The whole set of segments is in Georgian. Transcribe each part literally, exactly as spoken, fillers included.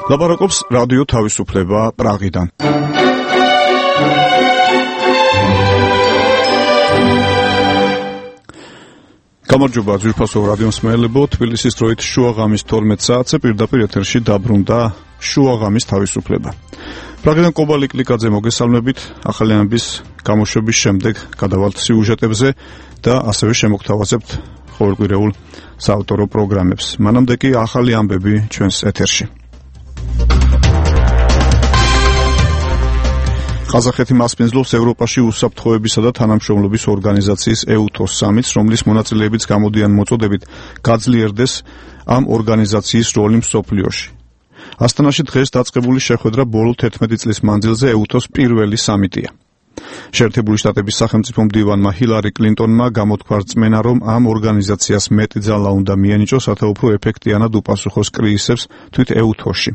ლაპარაკობს რადიო თავისუფლება პრაღიდან. გამარჯობა ძვირფასო რადიო მსმენელებო, თბილისის დროით შუაღამის თორმეტ საათზე პირდაპირ ეთერში დაბრუნდა შუაღამის თავისუფლება. პრაღიდან კობალ იკლიკაძე მოგესალმებით, ახალიანების გამოშვების შემდეგ გადავალთ სიუჟეტებზე და ასევე შემოგთავაზებთ ყოველკვირეულ საავტორო პროგრამებს. მანამდე კი ახალი ამბები ჩვენს ეთერში. ყაზახეთი მასპინძლობს ევროპაში უსაფრთხოებისა და თანამშრომლობის ორგანიზაციის ეუთოს სამიტს, რომლის მონაწილეებიც გამოდიან მოწოდებით გაძლიერდეს ამ ორგანიზაციის როლი მსოფლიოში. ასტანაში დღეს დაწყებული შეხვედრა ბოლო თერთმეტი წლის მანძილზე ეუთოს პირველი სამიტია. შეერთებული შტატების სახელმწიფო მდივანმა ჰილარი კლინტონმა გამოთქვა რწმენა, რომ ამ ორგანიზაციას მეტი ძალა უნდა მიენიჭოს, რათა უფრო ეფექტიანად უპასუხოს კრიზისებს თვით ეუთოში.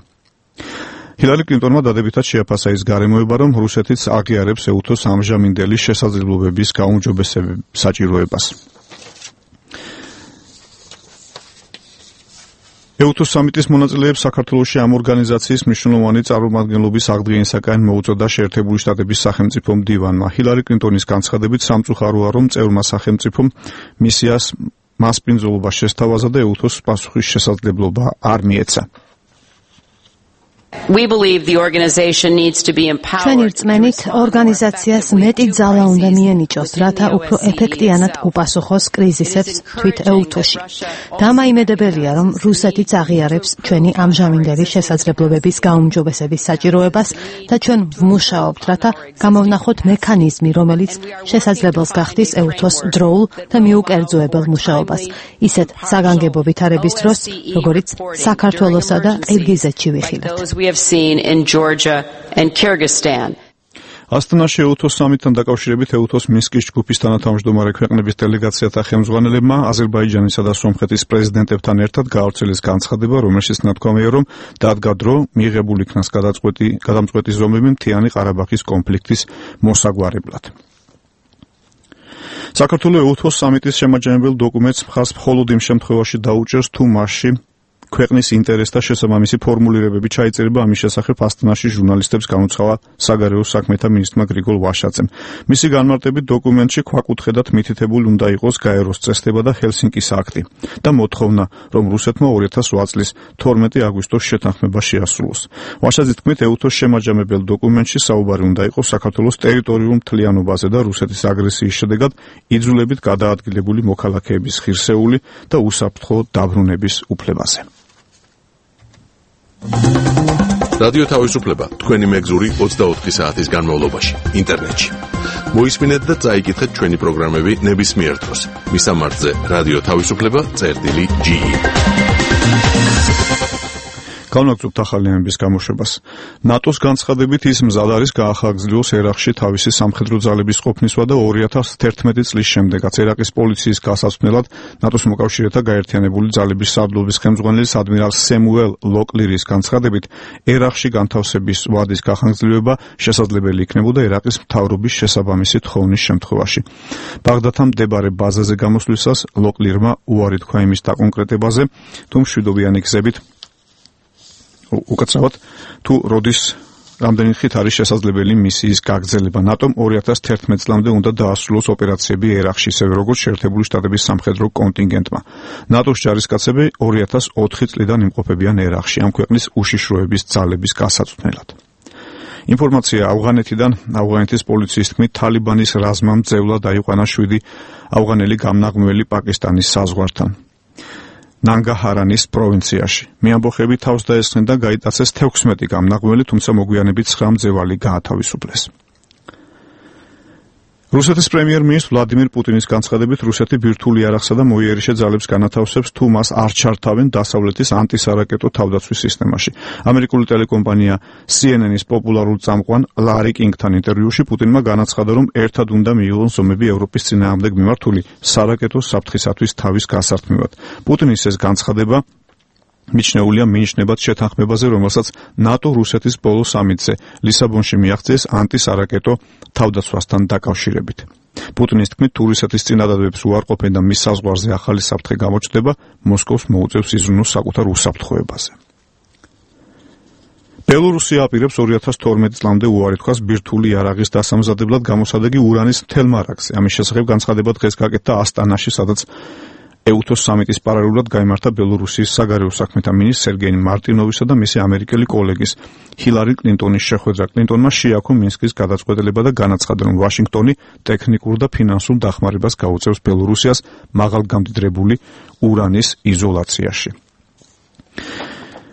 ჰილარი კლინტონმა დადებითად შეაფასა ის გარემოება, რომ რუსეთიც აღიარებს ეუთოს ამჟამინდელი შესაძლებლობების გაუმჯობესების საჭიროებას. ეუთოს სამიტის მონაწილეებს საქართველოში ამ ორგანიზაციის მნიშვნელოვანი წარმომადგენლობის აღდგენისაკენ მოუწოდა შეერთებული შტატების სახელმწიფო მდივანმა. ჰილარი კლინტონის განცხადებით სამწუხაროა, რომ წევრმა სახელმწიფომ მისიას მასპინძლობა შესთავაზა და ეუთოს პასუხის შესაძლებლობა არ მიეცა. We believe the organization needs to be empowered. ჩვენი რწმენით ორგანიზაციას მეტი ძალა უნდა მიენიჭოს, რათა უფრო ეფექტიანად უპასუხოს კრიზისებს თვით ეუთოში. დამაიმედებელია, რომ რუსეთიც აღიარებს ჩვენი ამჟამინდელი შესაძლებლობების გაუმჯობესების საჭიროებას და ჩვენ ვმუშაობთ, რათა გამოვნახოთ მექანიზმი, რომელიც შესაძლებელს გახდის ეუთოს დროულ და მიუკერძოებელ მუშაობას, ისეთ საგანგებო ვითარების დროს, როგორიც საქართველოსა და ყირგიზეთში ვიხილეთ. We have seen in Georgia and Kyrgyzstan. ასტანაში ეუთოს სამიტთან დაკავშირებით ეუთოს მინსკის ჯგუფის თანათავმჯდომარე ქვეყნების დელეგაციათა ხელმძღვანელებმა აზერბაიჯანისა და სომხეთის პრეზიდენტებთან ერთად გაავრცელეს განცხადება, რომელშიც ნათქვამია, რომ დადგა დრო მიღებულ იქნას გადაწყვეტი გადამწყვეტი ზომები მთიანი ყარაბაღის კონფლიქტის მოსაგვარებლად. საქართველოს ეუთოს სამიტის შემაჯამებელ დოკუმენტს მხარს მხოლოდ იმ შემთხვევაში დაუჭერს, თუ მასში ქვეყნის ინტერესთა შესაბამისი ფორმულირებები ჩაიწერება, ამის შესახებ ასტანაში ჟურნალისტებს განუცხადა საგარეო საქმეთა მინისტრმა გრიგოლ ვაშაძემ. მისი განმარტებით დოკუმენტში ქვაკუთხედად მითითებული უნდა იყოს გაეროს წესდება და ჰელსინკის აქტი და მოთხოვნა, რომ რუსეთმა ორი ათას ოთხ წლის თორმეტი აგვისტოს შეთანხმება შეასრულოს. ვაშაძის თქმით, ეუთოს შემაჯამებელ დოკუმენტში საუბარი უნდა იყოს საქართველოს ტერიტორიულ მთლიანობაზე და რუსეთის აგრესიის შედეგად იძულებით გადაადგილებული მოქალაქეების ღირსეული და უსაფრთხო დაბრუნების უფლებაზე. რადიო თავისუფლება თქვენი მეგზური ოცდაოთხი საათის განმავლობაში ინტერნეტში. მოისმინეთ და წაიკითხეთ ჩვენი პროგრამები ნებისმიერ დროს. მისამართზე რადიო თავისუფლება წერტილი ჯი ი. განვაგრძობთ ახალიანების გამოშვებას. ნატოს განცხადებით ის მზად არის გაახაგრძლიოს ერაყში თავისი სამხედრო ძალების ყოფნისვა და ორი ათას თერთმეტი წლის შემდეგაც ერაყის პოლიციის გასაცვლელად ნატოს მოკავშირეთა გაერთიანებული ძალების სარდლობის ხელმძღვანელის ადმირალ სემუელ ლოკლირის განცხადებით ერაყში განთავსების ვადის გახანგრძლივება შესაძლებელი იქნებოდა ერაყის მთავრობის შესაბამისი თხოვნის შემთხვევაში. ბაღდადთან მდებარე ბაზაზე გამოსვლისას ლოკლირმა უარი თქვა იმის დაკონკრეტებაზე, თუ მშვიდობიანი გზებით უკაცრავად თუ როდის რამდენი ხით არის შესაძლებელი მისიის გაგრძელება. ნატომ ორი ათას თერთმეტ წლამდე უნდა დაასრულოს ოპერაციები ერაყში, ისევე როგორც შეერთებული შტატების სამხედრო კონტინგენტმა. ნატოს ჯარისკაცები ორი ათას ოთხი წლიდან იმყოფებიან ერაყში, ამ ქვეყნის უშიშროების ძალების გასაწვდნელად. ინფორმაცია ავღანეთიდან. ავღანეთის პოლიციის თქმით, თალიბანის რაზმამ ძევლა დაიყვანა შვიდი ავღანელი გამნაღმველი პაკისტანის საზღვართან ნანგაჰარანის პროვინციაში. მეამბოხები თავს დაესხნენ და გაიტაცეს თექვსმეტი გამნაღმველი, თუმცა მოგვიანებით ცხრა მძევალი გაათავისუფლეს. რუსეთის პრემიერ-მინისტრ ვლადიმირ პუტინის განცხადებით, რუსეთი ბირთვული იარაღსა და მოიერიშე ძალებს განათავსებს, თუ მას არ ჩართავენ დასავლეთის ანტისარაკეტო თავდაცვის სისტემაში. ამერიკული ტელეკომპანია სი ენ ენ-ის პოპულარულ წამყვან ლარი კინგთან ინტერვიუში პუტინმა განაცხადა, რომ ერთად უნდა მიიღონ ზომები ევროპის წინააღმდეგ მიმართული სარაკეტო საფრთხისათვის თავის გასართმევად. პუტინის ეს განცხადება მიჩნეულია მინიშნებად შეთანხმებაზე, რომელსაც ნატო რუსეთის ბოლო სამიტზე ლისაბონში მიაღწიეს ანტისარაკეტო თავდაცვასთან დაკავშირებით. პუტინის თქმით, თუ რუსეთის წინადადებს უარყოფენ და მის საზღვარზე ახალი საფრთხე გამოჩნდება, მოსკოვს მოუწევს იზრუნოს საკუთარ უსაფრთხოებაზე. ბელორუსია აპირებს ორი ათას თორმეტი წლამდე უარი თქვას ბირთვული იარაღის დასამზადებლად გამოსადეგი ურანის მთელ მარაგზე. ამის შესახებ განცხადება დღეს გაკეთდა ასტანაში, სადაც ეუთოს სამიტის პარალელურად გაიმართა ბელორუსიის საგარეო საქმეთა მინისტრ სერგეი მარტინოვისა და მისი ამერიკელი კოლეგის ჰილარი კლინტონის შეხვედრა. კლინტონმა შეაქო მინსკის გადაწყვეტილება და განაცხადა, რომ ვაშინგტონი ტექნიკურ და ფინანსურ დახმარებას გაუწევს ბელორუსიას მაღალგამდიდრებული ურანის იზოლაციაში.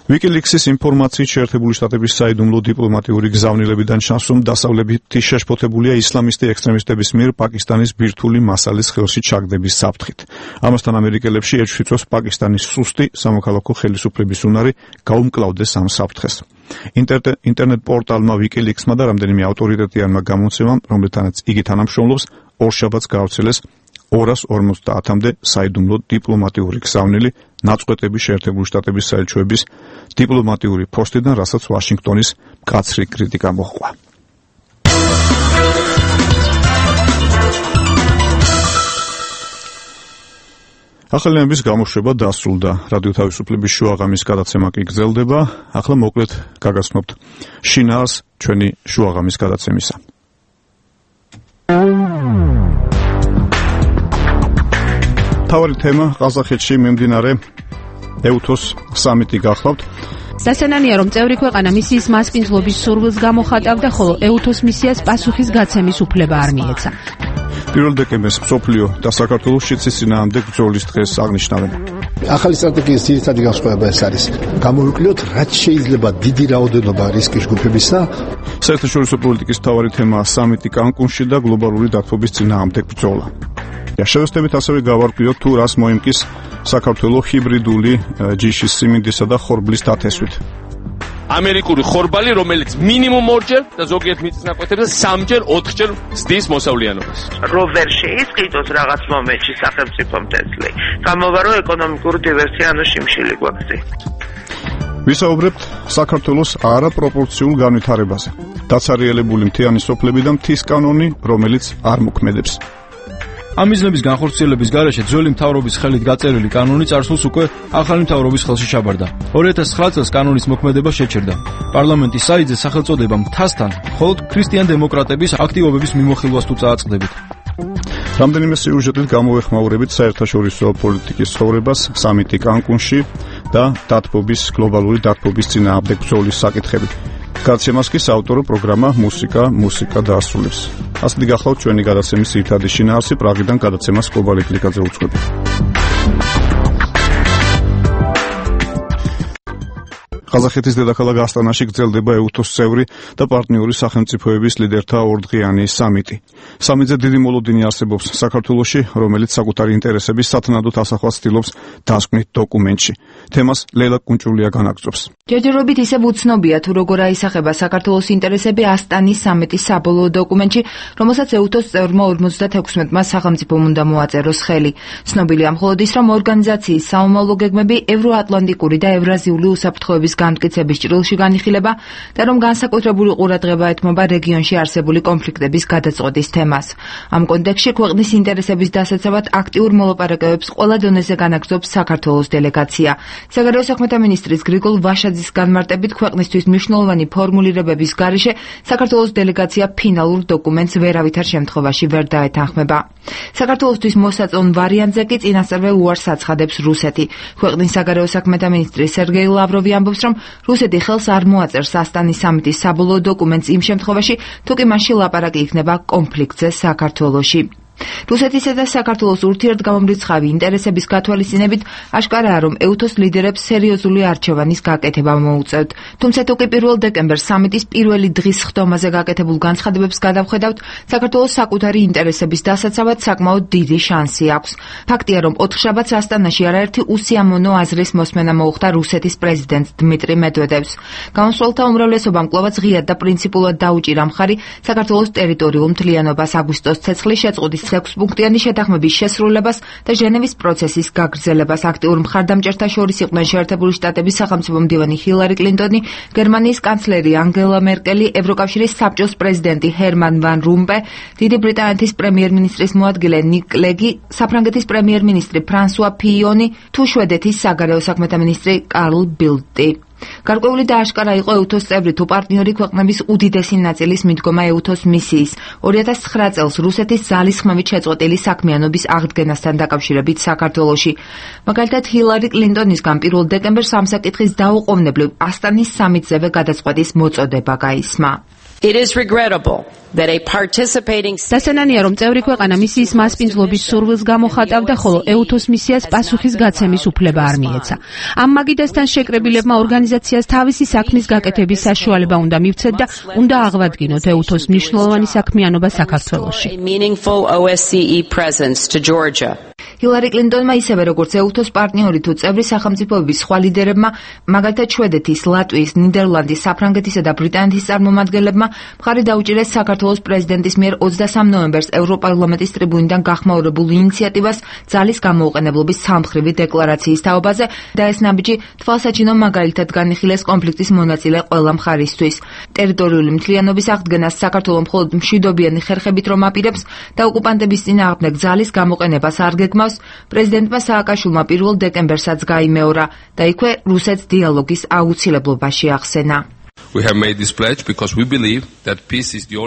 ვიკილიქსის ინფორმაციით შეერთებული შტატების საიდუმლო დიპლომატიური გზავნილებიდან ჩანს, რომ დასავლეთი შეშფოთებულია ისლამისტი ექსტრემისტების მიერ პაკისტანის ბირთვული მასალის ხელში ჩაგდების საფრთხით. ამასთან ამერიკელებში ეჭვშიწვევს პაკისტანის სუსტი სამოქალაქო ხელისუფლების უნარი გაუმკლავდეს ამ საფრთხეს. ინტერნეტ პორტალმა ვიკილიქსმა და რამდენიმე ავტორიტეტიანმა გამოცემამ, რომლეთანაც იგი თანამშრომლობს, ორშაბათს გაავრცელეს ორას ორმოცდაათამდე საიდუმლო დიპლომატიური გზავნილი ნაწყვეტები შეერთებული შტატების საელჩოების დიპლომატიური პოსტიდან, რასაც ვაშინგტონის მკაცრი კრიტიკა მოჰყვა. ახალიანების გამოშვება დასრულდა. რადიო თავისუფლების შუაღამის გადაცემა კი გრძელდება. ახლა მოკლედ გაგაცნობთ შინაარს ჩვენი შუაღამის გადაცემისა. თავარი თემა ყაზახეთში მიმდინარე ეუთოს სამიტი გახლავთ. სასანანია, რომ წევრი ქვეყანა მისიის მასპინძლობის სურვილს გამოხატავდა, ხოლო ეუთოს მისიას პასუხის გაცემის უფლება არ მიეცა. პირველ დეკემბერს მსოფლიო და საქართველოს შიდსის წინააღმდეგ ბრძოლის დღეს აღნიშნავენ. ახალი სტრატეგიის ძირითადი განსხვავება ეს არის. გამოვიკვლიოთ, რაც შეიძლება დიდი რაოდენობა რისკის ჯგუფებისა. საერთაშორისო პოლიტიკის მთავარი თემაა სამიტი კანკუნში და გლობალური დათბობის წინააღმდეგ ბრძოლა. შევეცდებით ასევე გავარკვიოთ, თუ რას მოიმკის საქართველოს ჰიბრიდული ჯიშის სიმინდისა და ხორბლის დათესვით. ამერიკული ხორბალი, რომელიც მინიმუმ ორჯერ და ზოგიერთ მიწის ნაკვეთებზე სამჯერ, ოთხჯერ ზდის მოსავლიანობას. რო ვერ შეისყიდოს რაღაც მომენტში სახელმწიფო მტესლი. გამოვა რომ ეკონომიკური დივერსია ანუ შიმშილი გვაქვს. ვისაუბრებთ საქართველოს არაპროპორციულ განვითარებაზე. დაცარიელებული მთიანი სოფლები და მთის კანონი, რომელიც არ მოქმედებს. ამ მიზნების განხორციელების გარეშე ძველი მთავრობის ხელით გაწერილი კანონი წარსულს უკვე ახალი მთავრობის ხელში ჩაბარდა. ორი ათას ცხრა წელს კანონის მოქმედება შეჩერდა. პარლამენტის საიტზე სახელწოდება მთასთან მხოლოდ ქრისტიან დემოკრატების აქტივობების მიმოხილვას თუ წააწყდებით. რამდენიმე სიუჟეტით გამოვეხმაურებით საერთაშორისო პოლიტიკის ცხოვრებას, სამიტი კანკუნში და დათბობის გლობალური დათბობის წინააღმდეგ ბრძოლის საკითხები. გადაცემას კი საავტორო პროგრამა მუსიკა მუსიკა დაასრულებს. ასეთი გახლავთ ჩვენი გადაცემის ძირითადი შინაარსი. პრაღიდან გადაცემას კობალე კლიკაძე უძღვები. ყაზახეთის დედაქალაქ ასტანაში გრძელდება ეუთოს წევრი და პარტნიორი სახელმწიფოების ლიდერთა ორდღიანი სამიტი. სამიტზე დიდი მოლოდინი არსებობს საქართველოში, რომელიც საკუთარი ინტერესების სათანადოდ ასახვას ცდილობს დასკვნით დოკუმენტში. თემას ლელა კუნჭულია განაგრძობს. ჯერჯერობით ისევ უცნობია, თუ როგორ აისახება საქართველოს ინტერესები ასტანის სამიტის საბოლოო დოკუმენტში, რომელსაც ეუთოს წევრმა ორმოცდათექვსმეტმა სახელმწიფომ უნდა მოაწეროს ხელი. ცნობილია მხოლოდ ის, რომ ორგანიზაციის საომავლო გეგმები ევროატლანტიკური და ევრაზიული უსაფრთხოების განმტკიცების ჭრილში განიხილება და რომ განსაკუთრებული ყურადღება ეთმობა რეგიონში არსებული კონფლიქტების გადაწყვეტის თემას. ამ კონტექსტში ქვეყნის ინტერესების დასაცავად აქტიურ მოლაპარაკებებს ყველა დონეზე განაგრძობს საქართველოს დელეგაცია. საგარეო საქმეთა მინისტრის გრიგოლ ვაშაძის განმარტებით, ქვეყნისთვის მნიშვნელოვანი ფორმულირებების გარეშე საქართველოს დელეგაცია ფინალურ დოკუმენტს ვერავითარ შემთხვევაში ვერ დაეთანხმება. საქართველოსთვის მოსაწონ ვარიანტზე კი წინასწარვე უარს აცხადებს რუსეთი. ქვეყნის საგარეო საქმეთა მინისტრი სერგეი ლავროვი ამბობს, რომ რუსეთი ხელს არ მოაწერს ასტანის სამიტის საბოლოო დოკუმენტს იმ შემთხვევაში, თუ კი მასში ლაპარაკი იქნება კონფლიქტზე საქართველოში. რუსეთისა და საქართველოს ურთიერთგამომრიცხავი ინტერესების გათვალისწინებით აშკარაა, რომ ეუთოს ლიდერებს სერიოზული არჩევანის გაკეთება მოუწევთ. თუმცა თუ კი პირველ დეკემბერს სამიტის პირველი დღის ხდომაზე გაკეთებულ განცხადებებს გადავხედავთ, საქართველოს საკუთარი ინტერესების დასაცავად საკმაოდ დიდი შანსი აქვს. ფაქტია, რომ ოთხშაბათს ასტანაში არაერთი უსიამოვნო აზრის მოსმენა მოუხდა რუსეთის პრეზიდენტს დმიტრი მედვედევს. გამოსვლელთა უმრავლესობამ კვლავაც ღიად და პრინციპულად დაუჭირა მხარი საქართველოს ტერიტორიულ მთლიანობას, აგვისტოს ცეცხლის შეწყვეტის ექვსპუნქტიანი შეთანხმების შესრულებას და ჟენევის პროცესის გაგრძელებას. აქტიურ მხარდამჭერთა შორის იყვნენ შეერთებული შტატების სახელმწიფო მდივანი ჰილარი კლინტონი, გერმანიის კანცლერი ანგელა მერკელი, ევროკავშირის საბჭოს პრეზიდენტი ჰერმან ვან რომპე, დიდი ბრიტანეთის პრემიერ-მინისტრის მოადგილე ნიკ ლეგი, საფრანგეთის პრემიერ-მინისტრი ფრანსუა ფიიონი თუ შვედეთის საგარეო საქმეთა მინისტრი კარლ ბილდტი. გარკვეული და აშკარა იყო ეუთოს წევრი თუ პარტნიორი ქვეყნების უდიდესი ნაწილის მიდგომა ეუთოს მისიის ორი ათას ცხრა წელს რუსეთის ძალისხმევით შეწყვეტილი საქმიანობის აღდგენასთან დაკავშირებით საქართველოში. მაგალითად, ჰილარი კლინტონისგან პირველ დეკემბერს ამ საკითხის დაუყოვნებლივ ასტანის სამიტზევე გადაწყვეტის მოწოდება გაისმა. It is regrettable that a participating დასანანია რომ წევრი ქვეყანა მისიის მასპინძლობის სურვილს გამოხატავდა, ხოლო ეუთოს მისიას პასუხის გაცემის უფლება არ მიეცა. ამ მაგიდასთან შეკრებილებმა ორგანიზაციას თავისი საქმის გაკეთების საშუალება უნდა მივცეთ და უნდა აღვადგინოთ ეუთოს მნიშვნელოვანი საქმიანობა საქართველოში. ჰილარი კლინტონმა ისევე როგორც ეუთოს პარტნიორი თუ წევრი სახელმწიფოების სხვა ლიდერებმა, მაგალითად შვედეთის, ლატვიის, ნიდერლანდის, საფრანგეთისა და ბრიტანეთის წარმომადგენლებმა მხარი დაუჭირეს საქართველოს პრეზიდენტის მიერ ოცდასამ ნოემბერს ევროპარლამენტის ტრიბუნიდან გახმაურებულ ინიციატივას ძალის გამოუყენებლობის სამხრივი დეკლარაციის თაობაზე და ეს ნაბიჯი თვალსაჩინო მაგალითად განიხილეს კონფლიქტის მონაწილე ყველა მხარისთვის. ტერიტორიული მთლიანობის აღდგენას საქართველო მხოლოდ მშვიდობიანი ხერხებით რომ აპირებს და ოკუპანტების წინააღმდეგ ძალის გამოყენებას არ გეგმავს, პრეზიდენტმა სააკაშვილმა პირველ დეკემბერსაც გაიმეორა და იქვე რუსეთს დიალოგის აუცილებლობაში ახსენა.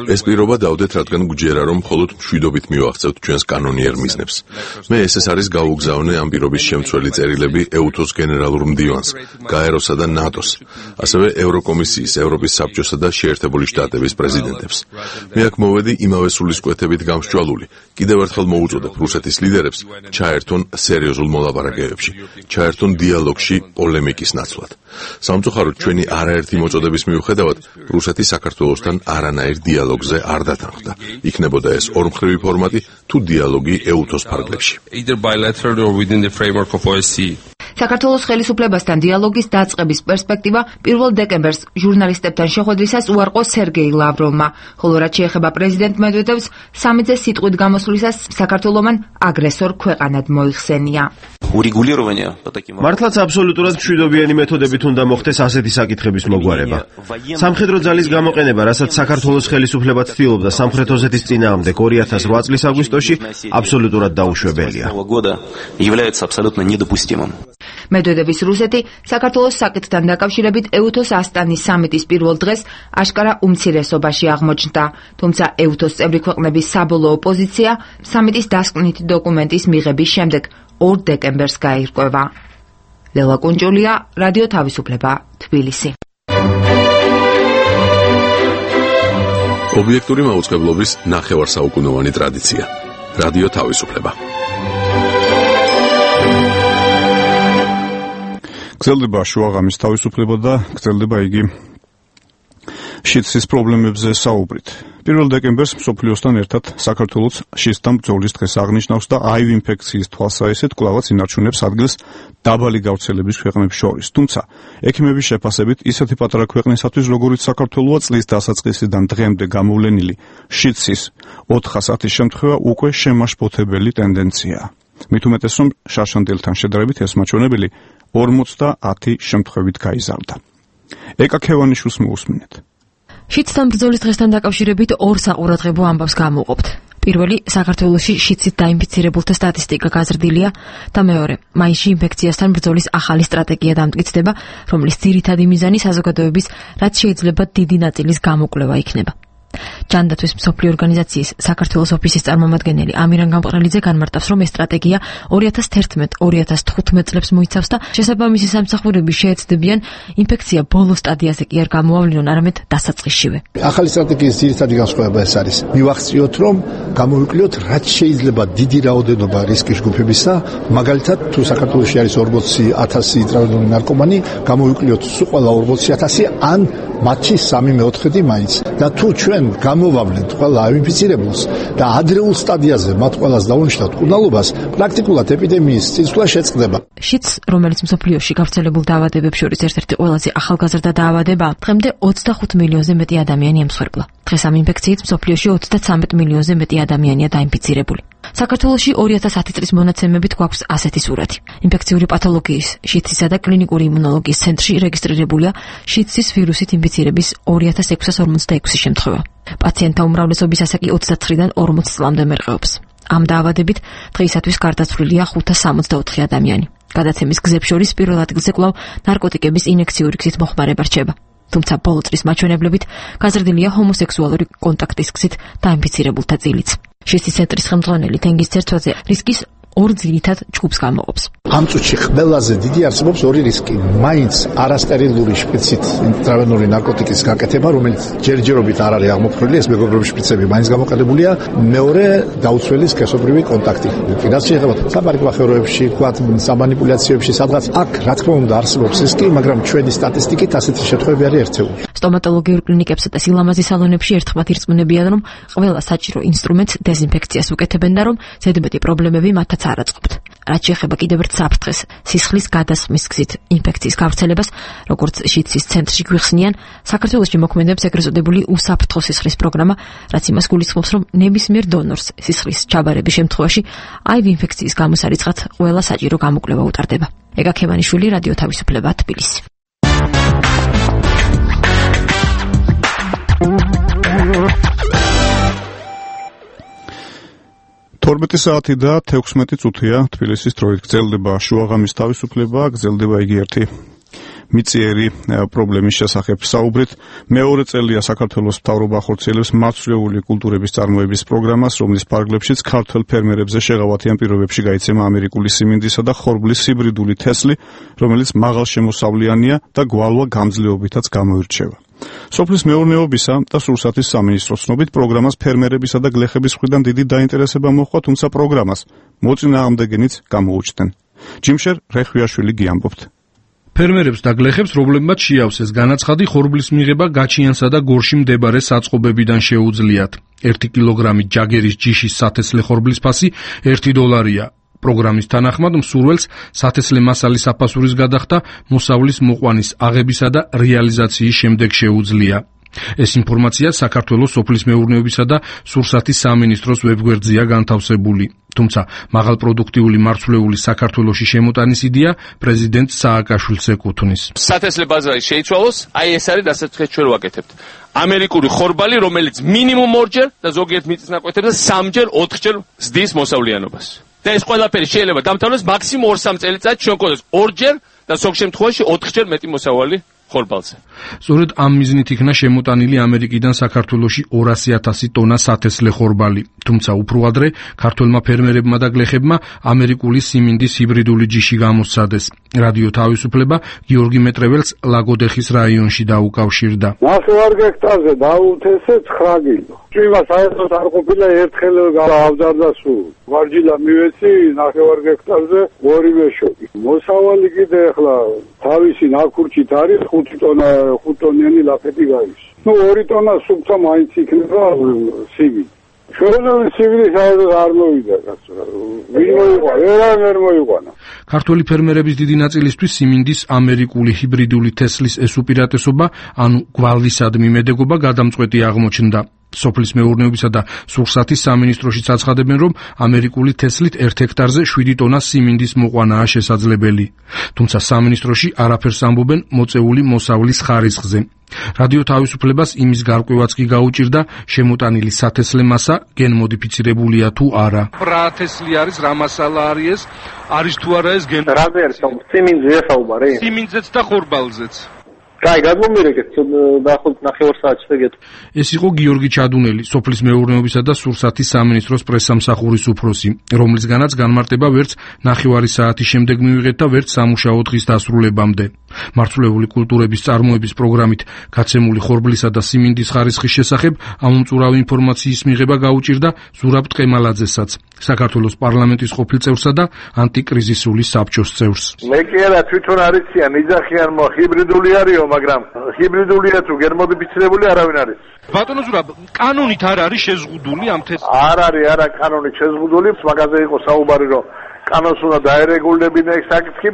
ეს პირობა დავდეთ, რადგან გვჯერა, რომ მხოლოდ მშვიდობით მივაღწევთ ჩვენს კანონიერ მიზნებს. მე ეს ეს არის გაუგზავნე ამ პირობის შემცველი წერილები ეუთოს გენერალურ მდივანს, გაეროსა და ნატოს, ასევე ევროკომისიის, ევროპის საბჭოსა და შეერთებული შტატების პრეზიდენტებს. მე აქ მოვედი იმავე სულისკვეთებით გამსჭვალული. კიდევ ერთხელ მოუწოდებ რუსეთის ლიდერებს ჩაერთონ სერიოზულ მოლაპარაკებებში, ჩაერთონ დიალოგში პოლემიკის ნაცვლად. სამწუხაროდ ჩვენი არაერთი მოწოდების მიუხედავად რუსეთი საქართველოსთან არანაირ დიალოგზე არ დათანხმდა. იქნებოდა ეს ორმხრივი ფორმატი თუ დიალოგი ეუთოს ფარგლებში. საქართველოს ხელისუფლებასთან დიალოგის დაწყების პერსპექტივა პირველ დეკემბერს ჟურნალისტებთან შეხვედრისას უარყო სერგეი ლავროვმა, ხოლო რაც შეეხება პრეზიდენტ მედვედევს, სამიტზე სიტყვით გამოსვლისას საქართველომან აგრესორ ქვეყანად მოიხსენია. მართლაც აბსოლუტურად მშვიდობიანი მეთოდებით უნდა მოხდეს ასეთი საკითხების მოგვარება. სამხედრო ძალის გამოყენება, რასაც საქართველოს ხელისუფლება ცდილობდა სამხრეთ ოსეთის წინააღმდეგ ორი ათას რვა წლის აგვისტოში, აბსოლუტურად დაუშვებელია. მედვედევის რუსეთი საქართველოს საკითხთან დაკავშირებით ეუთოს ასტანის სამიტის პირველ დღეს აშკარა უმცირესობაში აღმოჩნდა, თუმცა ეუთოს წევრი ქვეყნების საბოლოო პოზიცია სამიტის დასკვნითი დოკუმენტის მიღების შემდეგ ორ დეკემბერს გაირკვევა. ლელა კუნჭულია, რადიო თავისუფლება, თბილისი. ობიექტური მაუწყებლობის ნახევარსაუკუნოვანი ტრადიცია. რადიო თავისუფლება. გრძელდება შუაღამის თავისუფლება და გრძელდება იგი შიდსის პრობლემებზე საუბრით. პირველ დეკემბერს მსოფლიოსთან ერთად საქართველოს შიდსთან ბრძოლის დღეს აღნიშნავს და აივ ინფექციის თვალსაჩინოდ კვლავაც ინარჩუნებს ადგილს დაბალი გავრცელების ქვეყნებს შორის. თუმცა ექიმების შეფასებით ისეთი პატარა ქვეყნისათვის, როგორიც საქართველოა, წლის დასაწყისიდან დღემდე გამოვლენილი შიდსის ოთხ ათასის შემთხვევა უკვე შემაშფოთებელი ტენდენციაა. მით უმეტეს, რომ შარშანდელთან შედარებით ეს მაჩვენებელი ორმოცდაათი შემთხვევით გაიზარდა. ეკა ქევანიშვილს მოусმინეთ. შიდსთან ბრძოლის დღესთან დაკავშირებით ორ საყურადღებო ამბავს გამოვყოფთ. პირველი, საქართველოში შიდსით დაინფიცირებულთა სტატისტიკა გაზრდილია და მეორე, მაისში ინფექციასთან ბრძოლის ახალი სტრატეგია დამტკიცდება, რომლის ძირითადი მიზანი საზოგადოების რაც შეიძლება დიდი ნაწილის გამოკვლევა იქნება. ჯანდაცვის მსოფლიო ორგანიზაციის საქართველოს ოფისის წარმომადგენელი ამირან გამყრელიძე განმარტავს, რომ ეს სტრატეგია ორი ათას თერთმეტ ორი ათას თხუთმეტ წლებს მოიცავს და შესაბამისი სამსახურები შეეცდებიან ინფექცია ბოლო სტადიაზე კი არ გამოავლინონ, არამედ დასაწყისშივე. ახალი სტრატეგიის ძირითადი განსხვავება ეს არის. მივახციოთ, რომ გამოვიკვლიოთ რაც შეიძლება დიდი რაოდენობა რისკის ჯგუფებისა, მაგალითად თუ საქართველოში არის ორმოცი ათასი ტრავრდული ნარკომანი, გამოვიკვლიოთ სულ ყველა ორმოცი ათასი ან მათი სამი მეოთხედი მაინც. და თუ ჩვენ გამოვავლენთ ყველა აინფიცირებულს და ადრეულ სტადიაზე მათ ყველას დავუნიშნავთ კურნალობას, პრაქტიკულად ეპიდემიის წინსვლა შეწყდება. შიდს, რომელიც მსოფლიოში გავრცელებულ დაავადებებს შორის ერთ-ერთი ყველაზე ახალგაზრდა დაავადებაა, დღემდე ოცდახუთ მილიონზე მეტი ადამიანი ემსხვერპლა. დღეს ამ ინფექციით მსოფლიოში ოცდაცამეტ მილიონზე მეტი ადამიანია დაინფიცირებული. საქართველოში ორი ათას ათი წლის მონაცემებით გვაქვს ასეთი სურათი. ინფექციური პათოლოგიის, შიდსისა და კლინიკური იმუნოლოგიის ცენტრში რეგისტრირებულია შიდსის ვირუსით ინფიცირების ორი ათას ექვსას ორმოცდაექვსი შემთხვევა. პაციენტთა უმრავლესობის ასაკი ოცდაცხრიდან ორმოც წლამდე მერყეობს. ამ დაავადებით დღეისათვის გარდაცვლილია ხუთას სამოცდაოთხი ადამიანი. გადაცემის გზებს შორის პირველ ადგილზე კვლავ ნარკოტიკების ინექციური გზით მოხმარება რჩება. თუმცა ბოლო წლის მაჩვენებლებით გაზრდილია ჰომოსექსუალური კონტაქტის გზით დაინფიცირებულთა წილიც. შისტის ცენტრის ხელმძღვანელი თენგიზ ცერცვაძე რისკის ორ ძირითად ჯგუფს გამოყოფს. ამ წუთში ყველაზე დიდი არსებობს ორი რისკი. მაინც არასტერილური შპრიცით ინტრავენური ნარკოტიკის გაკეთება, რომელიც ჯერჯერობით არ არის აღმოფხვრილი, ეს მეგობრობის შპრიცები მაინც გამოყენებულია. მეორე, დაუცველი სქესობრივი კონტაქტი. კიდაც შეიძლება საბარგმახევროებში, თქვათ, სამანიპულაციებში, სადღაც აქ რა თქმა უნდა არსებობს რისკი, მაგრამ ჩვენი სტატისტიკით ასეთი შემთხვევები არის ერთეული. სტომატოლოგიურ კლინიკებსა და სილამაზის სალონებში ერთხმად ირწმუნებიან, რომ ყველა საჭირო ინსტრუმენტს დეზინფექციას უკეთებენ და რომ ზედმეტი პრობლემები მათაც არ აწყობთ. რაც შეეხება კიდევ ერთ საფრთხეს, სისხლის გადასხმის გზით ინფექციის გავრცელებას, როგორც შიდსის ცენტრში გვიხსნიან, საქართველოში მოქმედებს ეგრეთ წოდებული უსაფრთხო სისხლის პროგრამა, რაც იმას გულისხმობს, რომ ნებისმიერ დონორს სისხლის ჩაბარების შემთხვევაში აივ ინფექციის გამოსარიცხად ყველა საჭირო გამოკვლევა უტარდება. ეგა ქემანიშვილი, რადიო თავისუფლება, თბილისი. თორმეტი საათი და თექვსმეტი წუთია თბილისის დროით. გრძელდება შუაღამის თავისუფლება, გრძელდება იგი ერთი მიწიერი პრობლემის შესახებ საუბრით. მეორე წელია საქართველოს მთავრობა ახორციელებს მარცვლეული კულტურების წარმოების პროგრამას, რომლის ფარგლებშიც ქართველ ფერმერებზე შეღავათიან პირობებში გაიცემა ამერიკული სიმინდისა და ხორბლის ჰიბრიდული თესლი, რომელიც მაღალშემოსავლიანია და გვალვა გამძლეობითაც გამოირჩევა. სოფლის მეურნეობისა და სურსათის სამინისტროს ცნობით პროგრამას ფერმერებისა და გლეხების მხრიდან დიდი დაინტერესება მოჰყვა, თუმცა პროგრამას მოწინააღმდეგენიც გამოუჩნდნენ. ჯიმშერ რეხვიაშვილი გიამბობთ. ფერმერებს და გლეხებს პრობლემად შეავსეს განაცხადი ხორბლის მიღება გაჩიანსა და გორში მდებარე საწყობებიდან შეუძლიათ. ერთი კილოგრამი ჯაგერის ჯიშის სათესლე ხორბლის ფასი ერთი დოლარია. პროგრამის თანახმად მსურველს სათესლე მასალის აფასურის გადახდა მოსავლის მოყვანის აღებისა და რეალიზაციის შემდეგ შეუძლია. ეს ინფორმაცია საქართველოს სოფლის მეურნეობისა და სურსათის სამინისტროს ვებგვერდზეა განთავსებული. თუმცა მაღალპროდუქტიული მარცვლეული საქართველოში შემოტანის იდეა პრეზიდენტ სააკაშვილს ეკუთვნის. სათესლე ბაზარი შეიცვალოს, აი ეს არის რასაც ჩვენ ვაკეთებთ. ამერიკული ხორბალი, რომელიც მინიმუმ ორჯერ და ზოგიერთ მიწის ნაკვეთებზე სამჯერ, ოთხჯერ ზრდის მოსავლიანობას. და ეს ყველაფერი შეიძლება დამთავრდეს მაქსიმუმ ორ-სამ წელიწადში, ჩვენ გქონდეს ორჯერ და ზოგ შემთხვევაში ოთხჯერ მეტი მოსავალი ხორბალზე. სწორედ ამ მიზნით იქნა შემოტანილი ამერიკიდან საქართველოში ორასი ათასი ტონა სათესლე ხორბალი. თუმცა უფრო ადრე ქართველმა ფერმერებმა და გლეხებმა ამერიკული სიმინდის ჰიბრიდული ჯიში გამოსცადეს. რადიო თავისუფლება გიორგი მეტრეველს ლაგოდეხის რაიონში დაუკავშირდა. ნახევარ გექტარზე დაუთესე ცხრა კილო. ჭიმა საერთოდ არ ყოფილა ერთხელ გავავზარდა სულ. მარჯილა მივეცი ნახევარ გექტარზე ორივე შოკი. მოსავალი კიდე ახლა თავისი ნაკურჩით არის ხუთი ტონა ხუთ ტონიანი ლაფეტი გადის. ნუ ორი ტონა სუფთა მაინც იქნება სივი. შორეული სივი საერთოდ არ მოვიდა კაცო. ვინ მოიყვა? ვერან ვერ მოიყვანა. ქართველი ფერმერების დიდი ნაწილისთვის სიმინდის ამერიკული ჰიბრიდული თესლის ეს უპირატესობა, ანუ გვალვისადმი მედეგობა გადამწყვეტი აღმოჩნდა. სოფლის მეურნეობისა და სურსათის სამინისტროშიც აცხადებენ, რომ ამერიკული თესლით ერთ ჰექტარზე შვიდი ტონა სიმინდის მოყვანაა შესაძლებელი. თუმცა სამინისტროში არაფერს ამბობენ მოწეული მოსავლის ხარისხზე. რადიო თავისუფლებას იმის გარკვევაც კი გაუჭირდა, შემოტანილი სათესლე მასა გენმოდიფიცირებულია თუ არა. რა თესლი არის, რა მასალა არის ეს? არის თუ არა ეს გენ? რაზე არის სიმინძე საუბარი? სიმინძეც და ხორბალზეც. კაი, გადმომირეკეთ ნახოთ ნახევარ საათში ეგეთ. ეს იყო გიორგი ჩადუნელი, სოფლის მეურნეობისა და სურსათის სამინისტროს პრესსამსახურის უფროსი, რომლისგანაც განმარტება ვერც ნახევარი საათის შემდეგ მივიღეთ და ვერც სამუშაო დღის დასრულებამდე. მარცვლეული კულტურების წარმოების პროგრამით გაცემული ხორბლისა და სიმინდის ხარისხის შესახებ ამომწურავი ინფორმაციის მიღება გაუჭირდა ზურაბ ტყემალაძესაც, საქართველოს პარლამენტის ყოფილ წევრსა და ანტიკრიზისული საბჭოს წევრს. მე კი არა თვითონ არიციან, იძახიან მო ჰიბრიდული არისო, მაგრამ ჰიბრიდულია თუ გენმოდიფიცირებული არავინ არის. ბატონო ზურაბ, კანონით არ არის შეზღუდული ამ თესლი? არ არის, არა კანონით შეზღუდული, მაგაზე იყო საუბარი, რომ კანონს უნდა დაერეგულდებინა ეს საკითხი,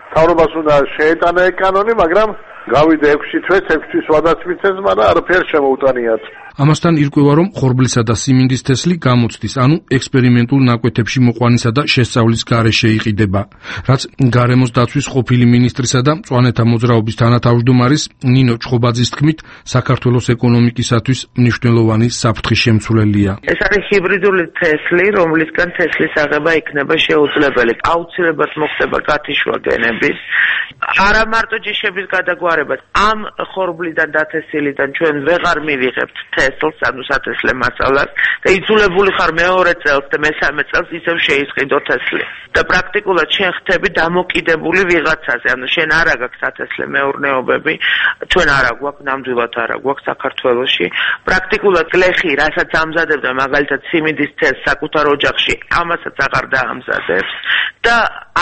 მთავრობას უნდა შეეტანა ეს კანონი, მაგრამ გავიდა ექვსი თვეც, ექვსი თვის ვადაც მიცეს, მაგრამ არაფერ შემოუტანიათ. ამასთან ირკვევა, რომ ხორბლისა და სიმინდის თესლი გამოცდის, ანუ ექსპერიმენტულ ნაკვეთებში მოყვანისა და შესწავლის გარეშე იყიდება, რაც გარემოს დაცვის ყოფილი მინისტრისა და მწვანეთა მოძრაობის თანათავმჯდომარის ნინო ჩხობაძის თქმით, საქართველოს ეკონომიკისათვის მნიშვნელოვანი საფრთხის შემცვლელია. ეს არის ჰიბრიდული თესლი, რომლისგან თესლის აღება იქნება შეუძლებელი. აუცილებლად მოხდება გათიშვა გენების, არა მარტო ჯიშების გადაგვარება. ამ ხორბლიდან დათესილიდან ჩვენ ვეღარ მივიღებთ თესლს, ანუ სათესლე მასალას და იძულებული ხარ მეორე წელს და მესამე წელს ისევ შეისყიდო თესლი. და პრაქტიკულად შენ ხდები დამოკიდებული ვიღაცაზე, ანუ შენ არ აქვს სათესლე მეურნეობები, ჩვენ არ აგვაქვს, ნამდვილად არ აგვაქვს საქართველოში. პრაქტიკულად გლეხი, რასაც ამზადებდა მაგალითად სიმინდის თესლს საკუთარ ოჯახში, ამასაც აღარ დაამზადებს და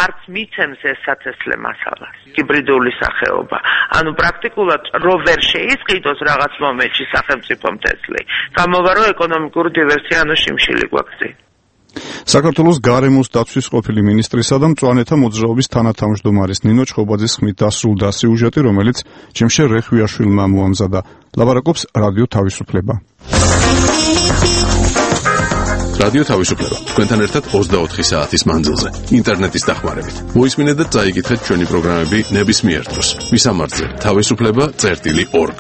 არც მიცემს ეს სათესლე მასალას. ჰიბრიდული სახეობა. ანუ პრაქტიკულად რო ვერ შეისყიდოს რაღაც მომენტში სახელმწიფომ თესლი, გამოვა რომ ეკონომიკური დივერსია ანუ შიმშილი გვაქვს. საქართველოს გარემოს დაცვის ყოფილი მინისტრისა და მწვანეთა მოძრაობის თანათავმჯდომარის ნინო ჩხობაძის ხმით დასრულდა სიუჟეტი, რომელიც ჩემშე რეხვიაშვილმა მოამზადა. ლაბარაკობს რადიო თავისუფლება. რადიო თავისუფლება თქვენთან ერთად ოცდაოთხი საათის მანძილზე ინტერნეტის დახმარებით. მოისმინეთ და წაიკითხეთ ჩვენი პროგრამები ნებისმიერ დროს. მისამართზე თავისუფლება წერტილი ორგ.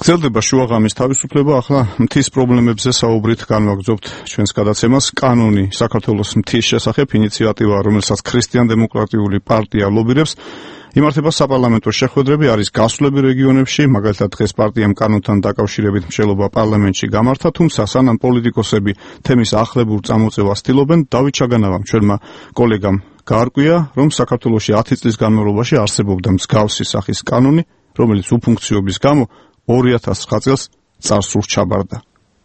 გრძელდება შუაღამის თავისუფლება, ახლა მთის პრობლემებზე საუბრით განვაგრძობთ ჩვენს გადაცემას. კანონი საქართველოს მთის შესახებ ინიციატივა, რომელსაც ქრისტიან-დემოკრატიული პარტია ლობირებს, იმართება საპარლამენტო შეხვედრები, არის გასვლები რეგიონებში, მაგალითად დღეს პარტიამ კანონთან დაკავშირებით მშელობა პარლამენტში გამართა, თუმცა სანამ პოლიტიკოსები თემის ახლებურ წამოწევას ცდილობენ, დავით ჩაგანავამ ჩვენმა კოლეგამ გაარკვია, რომ საქართველოში ათი წლის განმავლობაში არსებობდა მსგავსი სახის კანონი, რომელიც უფუნქციობის გამო ორი ათას ცხრა წელს წარსულს ჩაბარდა.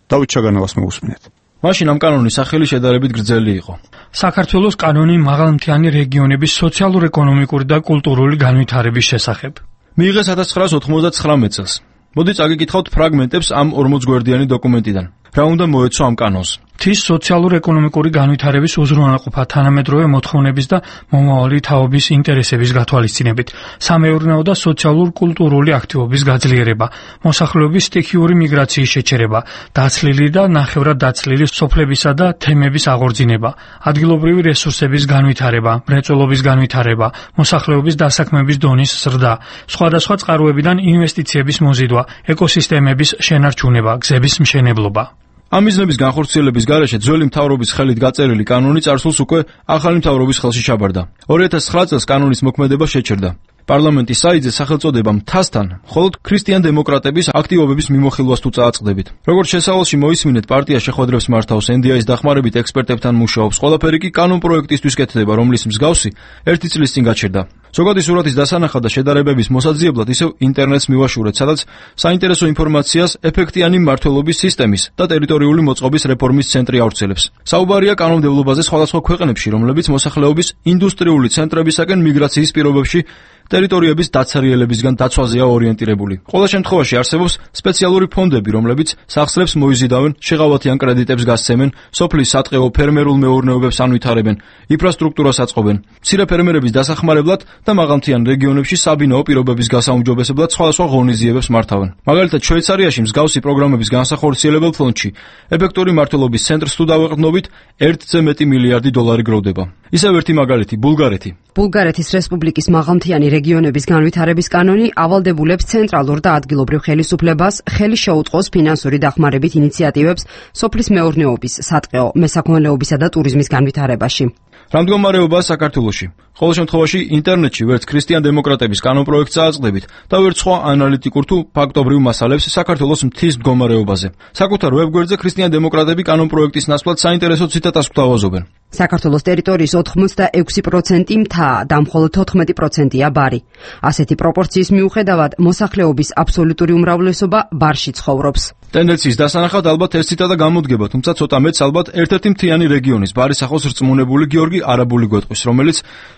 დავით ჩაგანავას მოусმინეთ. მაშინ ამ კანონის სახელი შედარებით გრძელი იყო. საქართველოს კანონი მაღალმთიანი რეგიონების სოციალურ-ეკონომიკური და კულტურული განვითარების შესახებ. მიიღეს ათას ცხრაას ოთხმოცდათხრამეტ წელს. მოდი წაგიკითხავთ ფრაგმენტებს ამ ორმოც გვერდიანი დოკუმენტიდან. რა უნდა მოეცო ამ კანონს? მთის სოციალურ-ეკონომიკური განვითარების უზრუნველყოფა თანამედროვე მოთხოვნების და მომავალი თაობის ინტერესების გათვალისწინებით, სამეურნეო და სოციალურ-კულტურული აქტივობის გაძლიერება, მოსახლეობის სტიქიური მიგრაციის შეჩერება, დაცლილი და ნახევრად დაცლილი სოფლებისა და თემების აღორძინება, ადგილობრივი რესურსების განვითარება, მრეწველობის განვითარება, მოსახლეობის დასაქმების დონის ზრდა, სხვადასხვა წყაროებიდან ინვესტიციების მოზიდვა, ეკოსისტემების შენარჩუნება, გზების მშენებლობა. ამ მიზნების განხორციელების გარეშე ძველი მთავრობის ხელით გაწერილი კანონი წარსულს უკვე ახალი მთავრობის ხელში ჩაბარდა. ორი ათას ცხრა წელს კანონის მოქმედება შეჩერდა. პარლამენტის საიტზე სახელწოდება მთასთან მხოლოდ ქრისტიან-დემოკრატების აქტივობების მიმოხილვას თუ წააწყდებით. როგორც შესავალში მოისმინეთ, პარტია შეხვედრებს მართავს, ენ დი ეის დახმარებით ექსპერტებთან მუშაობს, ყველაფერი კი კანონ პროექტისთვის კეთდება, რომლის მსგავსი ერთი წლის წინ გაჩერდა. ზოგადი სურათის დასანახად და შედარებების მოსაძიებლად ისევ ინტერნეტს მივაშურეთ, სადაც საინტერესო ინფორმაციას ეფექტიანი მმართველობის სისტემის და ტერიტორიული მოწყობის რეფორმის ცენტრი ავრცელებს. საუბარია კანონმდებლობაზე სხვადასხვა ქვეყნებში, რომლებიც მოსახლეობის ინდუსტრიული ცენტრებისაკენ მიგრაციის პირობებში ტერიტორიების დაცარიელებისგან დაცვაზეა ორიენტირებული. ყოველ შემთხვევაში არსებობს სპეციალური ფონდები, რომლებიც სახსრებს მოიზიდავენ, შეღავათიან კრედიტებს გასცემენ, სოფლის სატყეო ფერმერულ მეურნეობებს ანვითარებენ, ინფრასტრუქტურას აწყობენ. მცირე ფერმერების დასახმარებლად და მაღალმთიან რეგიონებში საბინაო პირობების გასაუმჯობესებლად სხვადასხვა ღონისძიებებს მართავენ. მაგალითად, შვეიცარიაში მსგავსი პროგრამების განსახორციელებელ ფონდში ეფექტური მმართველობის ცენტრს თუ დავეყრდნობით, ერთზე მეტი მილიარდი დოლარი გროვდება. ისევ ერთი მაგალითი, ბულგარეთი. ბულგარეთის რესპუბლიკის მაღალმთიანი რეგიონების განვითარების კანონი ავალდებულებს ცენტრალურ და ადგილობრივ ხელისუფლებას ხელი შეუწყოს ფინანსური დახმარებით ინიციატივებს სოფლის მეურნეობის, სატყეო, მესაქონლეობისა და ტურიზმის განვითარებაში. რა მდგომარეობაა საქართველოში? ყოველ შემთხვევაში ინტერნეტში ვერც ქრისტიან-დემოკრატების კანონპროექტს წააწყდებით და ვერც სხვა ანალიტიკურ თუ ფაქტობრივ მასალებს საქართველოს მთის მდგომარეობაზე. საკუთარ ვებგვერდზე ქრისტიან-დემოკრატები კანონპროექტის ნაცვლად საინტერესო ციტატას გვთავაზობენ. საქართველოს ტერიტორიის ოთხმოცდაექვსი პროცენტი მთაა და მხოლოდ თოთხმეტი პროცენტია ბარი. ასეთი პროპორციის მიუხედავად, მოსახლეობის აბსოლუტური უმრავლესობა ბარში ცხოვრობს. ტენდენციის დასანახად ალბათ ეს ციტატა გამოდგება, თუმცა ცოტა მეტს ალბათ ერთ-ერთი მთიანი რეგიონის ბარის ახალს რწმუნებული გიორგი არაბული გვეტყვის, რომელიც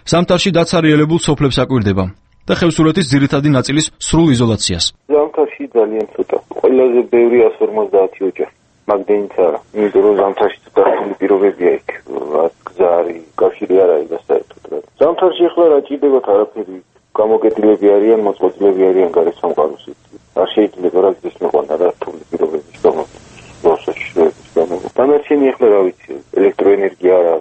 ზამთარში დაცარიელებულ სოფლებს აკვირდება და ხევსურეთის ძირითადი ნაწილის სრულ იზოლაციას. ზამთარში ძალიან ცოტა. ყველაზე ბევრი εκατს ორმოცდაათი ოჯახი. მაგდენიც არა. იმიტომ რომ ზამთარში ცოტა რთული პირობებია იქ. გზა არის, კავშირი არ არის და საერთოდ. ზამთარში ახლა რა ჭირდებათ არაფერი. გამოკეტილები არიან, მოწყობილები არიან გარეთ სამყაროს. არ შეიძლება რა გზის მეყვანა რა რთული პირობების გამო. პროცესების გამო. დანარჩენი ახლა რა ვიცი, ელექტროენერგია რა,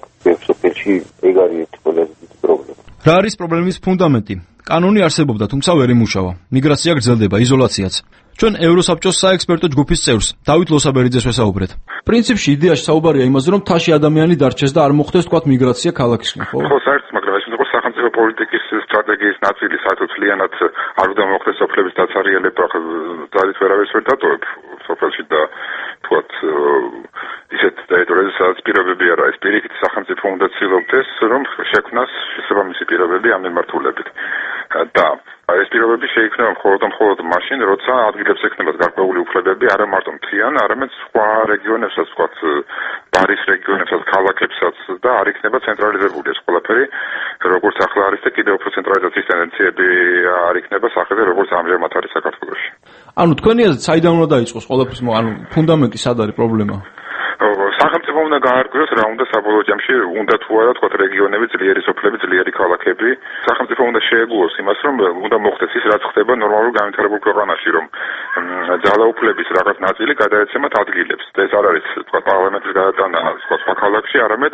სოფელში ეგ არის ერთი ყველაზე დიდი პრობლემა. რა არის პრობლემის ფუნდამენტი? კანონი არსებობდა, თუმცა ვერ იმუშავა. მიგრაცია გრძელდება, იზოლაციაც. ჩვენ ევროსაბჭოს საექსპერტო ჯგუფის წევრს დავით ლოსაბერიძეს ვესაუბრეთ. პრინციპში იდეაში საუბარია იმაზე, რომ მთაში ადამიანი დარჩეს და არ მოხდეს თქვათ მიგრაცია ქალაქისკენ, ხო? ხო, საერთოდ, მაგრამ ეს იყო სახელმწიფო პოლიტიკის სტრატეგიის ნაწილი, საერთოდ ძალიანად არ უნდა მოხდეს სოფლების დაცარიელება, ძალით ვერავის ვერ დატოვებ სოფელში და თქვათ ისეთ ტერიტორიაზე, სადაც პირობები არა, ეს პირიქით სახელმწიფო უნდა ცდილობდეს, რომ შექმნას შესაბამისი პირობები ამ მიმართულებით. და ეს პირობები შეიქმნება მხოლოდ და მხოლოდ მაშინ, როცა ადგილებს ექნებათ გარკვეული უფლებები, არა მარტო მთლიან, არამედ სხვა რეგიონებსაც, ვთქვათ, ბარის რეგიონებსაც, ქალაქებსაც და არ იქნება ცენტრალიზებული ეს ყველაფერი, როგორც ახლა არის და კიდევ უფრო ცენტრალიზაციის ტენდენციები არ იქნება სახეზე, როგორც ამჟამად არის საქართველოში. ანუ თქვენი აზრით, საიდან უნდა დაიწყოს ყველაფრის, ანუ ფუნდამენტი სად არის პრობლემა? სახელმწიფო უნდა გაარკვიოს რა უნდა საბოლოო ჯამში, უნდა თუ არა თქვათ რეგიონები, ძლიერი სოფლები, ძლიერი ქალაქები. სახელმწიფო უნდა შეეგუოს იმას, რომ უნდა მოხდეს ის, რაც ხდება ნორმალურ განვითარებულ ქვეყანაში, რომ ძალაუფლების რაღაც ნაწილი გადაეცემათ ადგილებს. და ეს არ არის თქვათ პარლამენტის გადატანა თქვათ სხვა ქალაქში, არამედ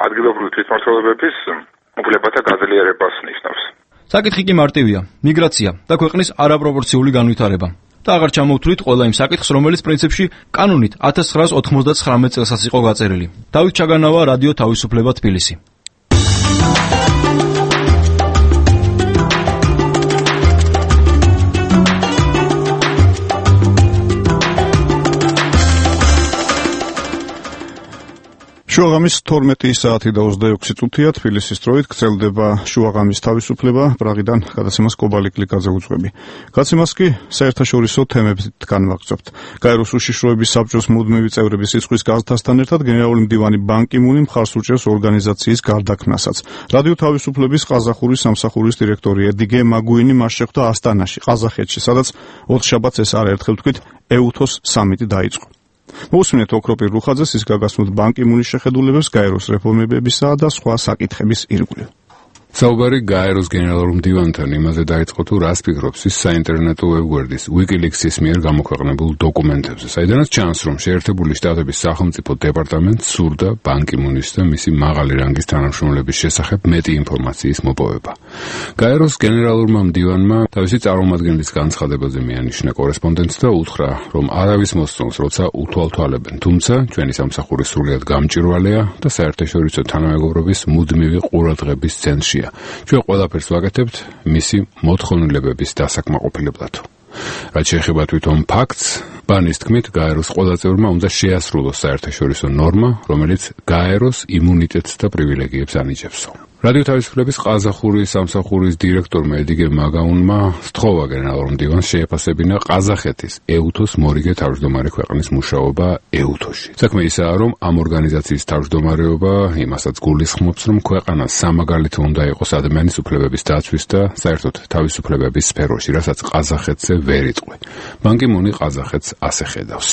ადგილობრივი თვითმმართველობების უფლებათა გაძლიერებას ნიშნავს. საკითხი კი მარტივია: მიგრაცია და ქვეყნის არაპროპორციული განვითარება. და აღარ ჩამოვთვლით ყველა იმ საკითხს, რომელიც პრინციპში კანონით ათას ცხრაას ოთხმოცდათხრამეტ წელსაც იყო გაწერილი. დავით ჩაგანავა, რადიო თავისუფლება, თბილისი. შუაღამის თორმეტი საათი და ოცდაექვსი წუთია თბილისის დროით გრძელდება შუაღამის თავისუფლება, პრაღიდან გადაცემას კობალი კლიკაძე უძღვები. გაცემას კი საერთაშორისო თემებით განვაგრძობთ. გაეროს უშიშროების საბჭოს მუდმივი წევრების სიცხვის გაზრდასთან ერთად გენერალური მდივანი ბან კი მუნი მხარს უჭერს ორგანიზაციის გარდაქმნასაც. რადიო თავისუფლების ყაზახური სამსახურის დირექტორი ედგე მაგუინი მას შეხვდა ასტანაში, ყაზახეთში, სადაც ოთხშაბათს ეს არაერთხელ თქვით ეუთოს სამიტი დაიწყო. მოусმინეთ ოქროპირ რუხაძეს ის გაგასმოთ ბან კი მუნის შეხედულებებს გაეროს რეფორმებებისა და სხვა საკითხების ირგვლივ. საუბარი გაეროს გენერალურ მდივანთან იმაზე დაიწყო თუ რას ფიქრობს ის საინტერნეტო ვებგვერდის WikiLeaks-ის მიერ გამოქვეყნებულ დოკუმენტებზე, საიდანაც ჩანს, რომ შეერთებული შტატების სახელმწიფო დეპარტამენტს სურდა ბან კი მუნის და მისი მაღალი რანგის თანამშრომლების შესახებ მეტი ინფორმაციის მოპოვება. გაეროს გენერალურმა მდივანმა თავისი წარმომადგენლის განცხადებაზე მიანიშნა კორესპონდენტს და უთხრა, რომ არავის მოსწონს, როცა უთვალთვალებენ, თუმცა ჩვენი სამსახური სრულიად გამჭირვალეა და საერთაშორისო თანამეგობრობის მუდმივი ყურადღების ცენტრშია. ჩვენ ყველაფერს ვაკეთებთ მისი მოთხოვნილებების დასაკმაყოფილებლად. რაც შეეხება თვითონ ფაქტს, ბანის თქმით, გაეროს ყველა წევრმა უნდა შეასრულოს საერთაშორისო ნორმა, რომელიც გაეროს იმუნიტეტს და პრივილეგიებს ანიჭებსო. რადიო თავისუფლების ყაზახური სამსახურის დირექტორმა ედგე მაგაუნმა სთხოვა გენერალურ მდივანს შეეფასებინა ყაზახეთის ეუთოს მორიგე თავმჯდომარე ქვეყნის მუშაობა ეუთოში. საქმე ისაა, რომ ამ ორგანიზაციის თავმჯდომარეობა იმასაც გულისხმობს, რომ ქვეყანა სამაგალითო უნდა იყოს ადამიანის უფლებების დაცვის და საერთოდ თავისუფლებების სფეროში, რასაც ყაზახეთზე ვერ იწყვი. ბან კი მუნი ყაზახეთს ასე ხედავს.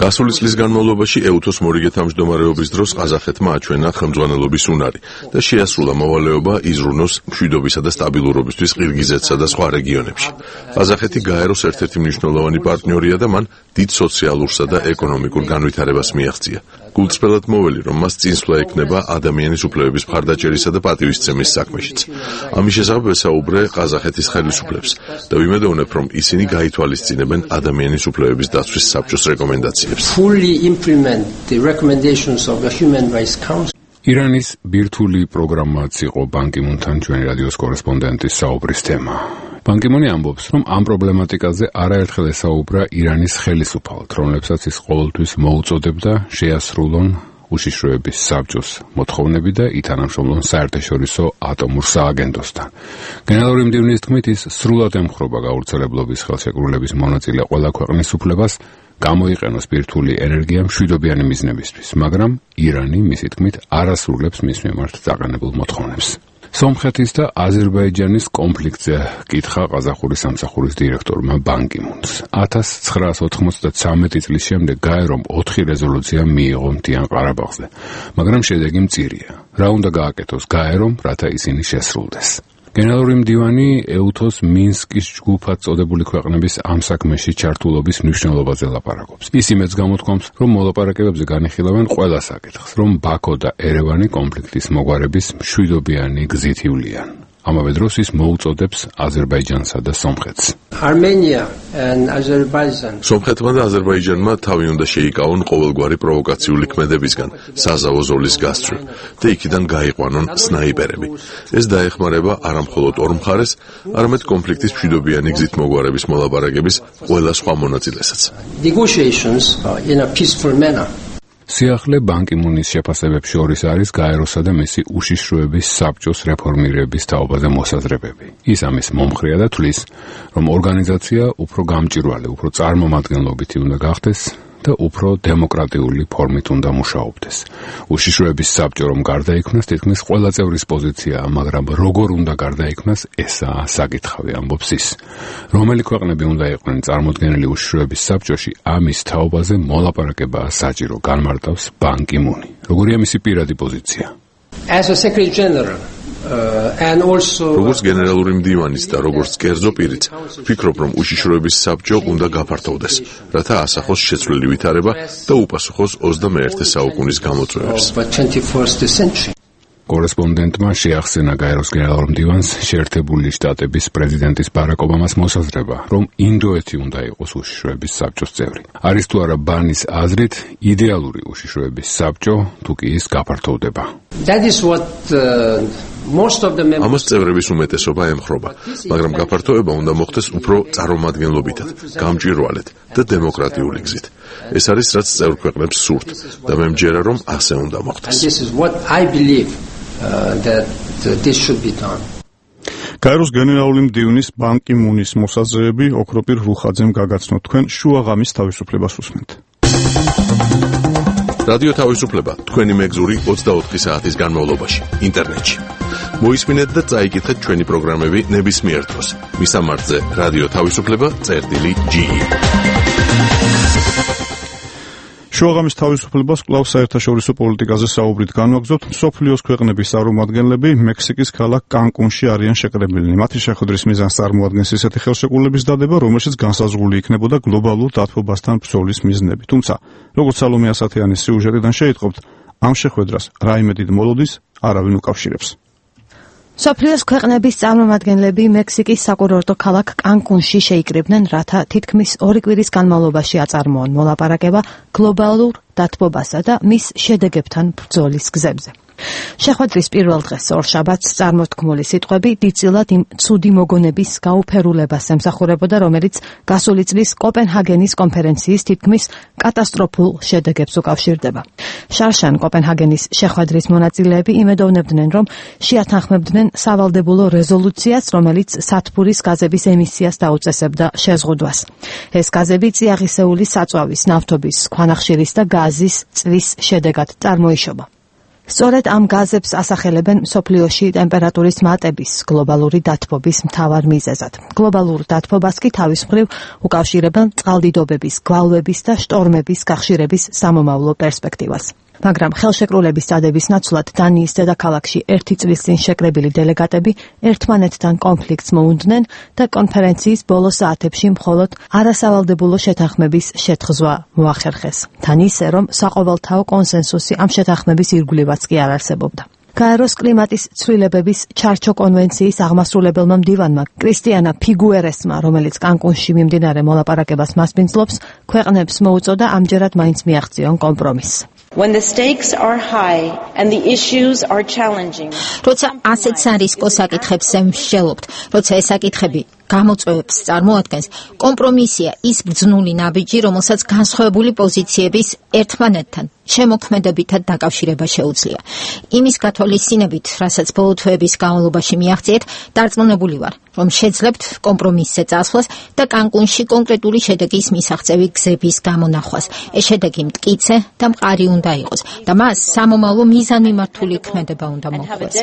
გასული წლის განმავლობაში ეუთოს მორიგე თავმჯდომარეობის დროს ყაზახეთმა აჩვენა ხელმძღვანელობის უნარი და შეასრულა მოვალეობა იზრუნოს მშვიდობისა და სტაბილურობისთვის ყირგიზეთსა და სხვა რეგიონებში. ყაზახეთი გაეროს ერთ-ერთი მნიშვნელოვანი პარტნიორია და მან დიდ სოციალურსა და ეკონომიკურ განვითარებას მიაღწია. გულწრფელად მოველი, რომ მას წინსვლა ექნება ადამიანის უფლებების მხარდაჭერისა და პატივისცემის საქმეშიც. ამის შესახებ ვესაუბრე ყაზახეთის ხელისუფლებს და ვიმედოვნებ, რომ ისინი გაითვალისწინებენ ადამიანის უფლებების დაცვის საბჭოს რეკომენდაციებს. ირანის ბირთვული პროგრამაც იყო ბან კი მუნთან ჩვენი რადიოს კორესპონდენტის საუბრის თემა. ბან კი მუნი ამბობს, რომ ამ პრობლემატიკაზე არაერთხელ ესაუბრა ირანის ხელისუფალთ, რომლებსაც ის ყოველთვის მოუწოდებდა შეასრულონ უშიშროების საბჭოს მოთხოვნები და ითანამშრომლონ საერთაშორისო ატომურ სააგენტოსთან. გენერალური მდივნის თქმით, ის სრულად ემხრობა გავრცელებლობის ხელშეკრულების მონაწილე ყველა ქვეყნის უფლებას გამოიყენოს ბირთვული ენერგია მშვიდობიანი მიზნებისთვის, მაგრამ ირანი, მისი თქმით, არ ასრულებს მის მიმართ დაყენებულ მოთხოვნებს. სომხეთის და აზერბაიჯანის კონფლიქტზე კითხა ყაზახური სამსახურის დირექტორმა ბან კი მუნს. ათას ცხრაას ოთხმოცდათვრამეტი წლის შემდეგ გაერომ ოთხი რეზოლუცია მიიღო მთიან ყარაბაღზე, მაგრამ შედეგი მწირია. რა უნდა გააკეთოს გაერომ, რათა ისინი შესრულდეს? გენერალური მდივანი ეუთოს მინსკის ჯგუფად წოდებული ქვეყნების ამ საქმეში ჩართულობის მნიშვნელობაზე ლაპარაკობს. ის იმედს გამოთქვამს, რომ მოლაპარაკებებზე განიხილავენ ყველა საკითხს, რომ ბაქო და ერევანი კონფლიქტის მოგვარების მშვიდობიანი გზით ივლიან. ამავე დროს ის მოუწოდებს აზერბაიჯანსა და სომხეთს. Armenia and Azerbaijan. სომხეთმა და აზერბაიჯანმა თავი უნდა შეიკავონ ყოველგვარი პროვოკაციული ქმედებისგან, საზავო ზოლის გასწვრივ და იქიდან გაიყვანონ სნაიპერები. ეს დაეხმარება არა მხოლოდ ორ მხარეს, არამედ კონფლიქტის მშვიდობიანი გზით მოგვარების მოლაპარაკების ყველა სხვა მონაწილესაც. Negotiations in a peaceful manner. სიახლე ბან კი მუნის შეფასებებს შორის არის გაეროსა და მისი უშიშროების საბჭოს რეფორმირების თაობაზე მოსაზრებები. ის ამის მომხრეა და თვლის, რომ ორგანიზაცია უფრო გამჭვირვალე, უფრო წარმომადგენლობითი უნდა გახდეს და უფრო დემოკრატიული ფორმით უნდა მუშაობდეს. უშიშროების საბჭო რომ გარდაიქმნას, თითქმის ყველა წევრის პოზიციაა, მაგრამ როგორ უნდა გარდაიქმნას, ესაა საკითხავი, ამბობს ის. რომელი ქვეყნები უნდა იყვნენ წარმოდგენილი უშიშროების საბჭოში, ამის თაობაზე მოლაპარაკებაა საჭირო, განმარტავს ბან კი მუნი. როგორია მისი პირადი პოზიცია? As a Secretary General Uh, and also როგორც გენერალური მდივანის და როგორც კერძო პირიც ვფიქრობ, რომ უშიშროების საბჭო უნდა გაფართოვდეს, რათა ასახოს შეცვლილი ვითარება და უპასუხოს ოცდამეერთე საუკუნის გამოწვევებს. კორესპონდენტმა შეახსენა გაეროს გენერალურ მდივანს შეერთებული შტატების პრეზიდენტის ბარაკ ობამას მოსაზრება, რომ ინდოეთი უნდა იყოს უშიშროების საბჭოს წევრი. არის თუ არა ბანის აზრით იდეალური უშიშროების საბჭო, თუ კი ის გაფართოვდება. That is what uh, most of the members ამას წევრების უმეტესობა ემხრობა, მაგრამ გაფართოება უნდა მოხდეს უფრო წარმომადგენლობითად, გამჭვირვალედ და დემოკრატიული გზით. ეს არის რაც წევრ ქვეყნებს სურთ და მე მჯერა, რომ ასე უნდა მოხდეს. This is what I believe uh, that uh, this should be done. გაეროს გენერალური მდივნის ბან კი მუნის მოსაზრებები ოქროპირ რუხაძემ გაგაცნოთ. თქვენ შუაღამის თავისუფლებას უსმენთ. რადიო თავისუფლება თქვენი მეგზური ოცდაოთხი საათის განმავლობაში ინტერნეტში. მოისმინეთ და წაიკითხეთ ჩვენი პროგრამები ნებისმიერ დროს. მისამართზე რადიო თავისუფლება წერტილი ჯი. შუაღამის თავისუფლებას კვლავ საერთაშორისო პოლიტიკაზე საუბრით განვაგრძობთ. მსოფლიოს ქვეყნების წარმომადგენლები მექსიკის ქალაქ კანკუნში არიან შეკრებილნი. მათი შეხვედრის მიზანს წარმოადგენს ისეთი ხელშეკრულების დადება, რომელშიც განსაზღვრული იქნებოდა გლობალურ დათბობასთან ბრძოლის მიზნები. თუმცა, როგორც სალომე ასათიანის სიუჟეტიდან შეიტყობთ, ამ შეხვედრას რაიმე დიდ მოლოდის არავინ უკავშირებს. სოფლიოს ქვეყნების წარმომადგენლები მექსიკის საკურორტო ქალაქ კანკუნში შეიკრიბნენ, რათა თითქმის ორი კვირის განმავლობაში აწარმოონ მოლაპარაკება გლობალურ დათბობასა და მის შედეგებთან ბრძოლის გზებზე. შეხვედრის პირველ დღეს ორშაბათს წარმოთქმული სიტყვები დიდწილად იმ ცუდი მოგონების გაუფერულებას ემსახურებოდა, რომელიც გასული წლის კოპენჰაგენის კონფერენციის თითქმის კატასტროფულ შედეგებს უკავშირდება. შარშან კოპენჰაგენის შეხვედრის მონაწილეები იმედოვნებდნენ, რომ შეათანხმებდნენ სავალდებულო რეზოლუციას, რომელიც სათბურის გაზების ემისიას დაუწესებდა შეზღუდვას. ეს გაზები წიაღისეული საწვავის, ნავთობის, ქვანახშირის და გაზის წვის შედეგად წარმოიშობა. სწორედ ამ გაზებს ასახელებენ მსოფლიოში ტემპერატურის მატების გლობალური დათბობის მთავარ მიზეზად. გლობალურ დათბობას კი თავის მხრივ უკავშირებენ წყალდიდობების, გვალვების და შტორმების გახშირების სამომავლო პერსპექტივას. მაგრამ ხელშეკრულების წადების ნაცვლად დანიის დედაქალაქში ერთი წლის წინ შეკრებილი დელეგატები ერთმანეთთან კონფლიქტს მოუნდნენ და კონფერენციის ბოლო საათებში მხოლოდ არასავალდებულო შეთანხმების შეთხზვა მოახერხეს. თან ისე, რომ საყოველთაო კონსენსუსი ამ შეთანხმების ირგვლივაც კი არ არსებობდა. გაეროს კლიმატის ცვლილებების ჩარჩო კონვენციის აღმასრულებელმა მდივანმა კრისტიანა ფიგუერესმა, რომელიც კანკუნში მიმდინარე მოლაპარაკებას მასპინძლობს, ქვეყნებს მოუწოდა ამჯერად მაინც მიაღწიონ კომპრომისს. When the stakes are high and the issues are challenging. როცა ასეთ სარისკო საკითხებს მსჯელობთ, როცა ეს საკითხები გამოწვევებს წარმოადგენს, კომპრომისია ის ბრძნული ნაბიჯი, რომელსაც განსხვავებული პოზიციების ერთმანეთთან შემოქმედებითად დაკავშირება შეუძლია. იმის გათვალისწინებით, რასაც ბოლო თვეების განმავლობაში მიაღწიეთ, დარწმუნებული ვარ, რომ შეძლებთ კომპრომისზე წასვლას და კანკუნში კონკრეტული შედეგის მისაღწევი გზების გამონახვას. ეს შედეგი მტკიცე და მყარი უნდა იყოს და მას სამომავლო მიზანმიმართული ქმედება უნდა მოჰყვეს.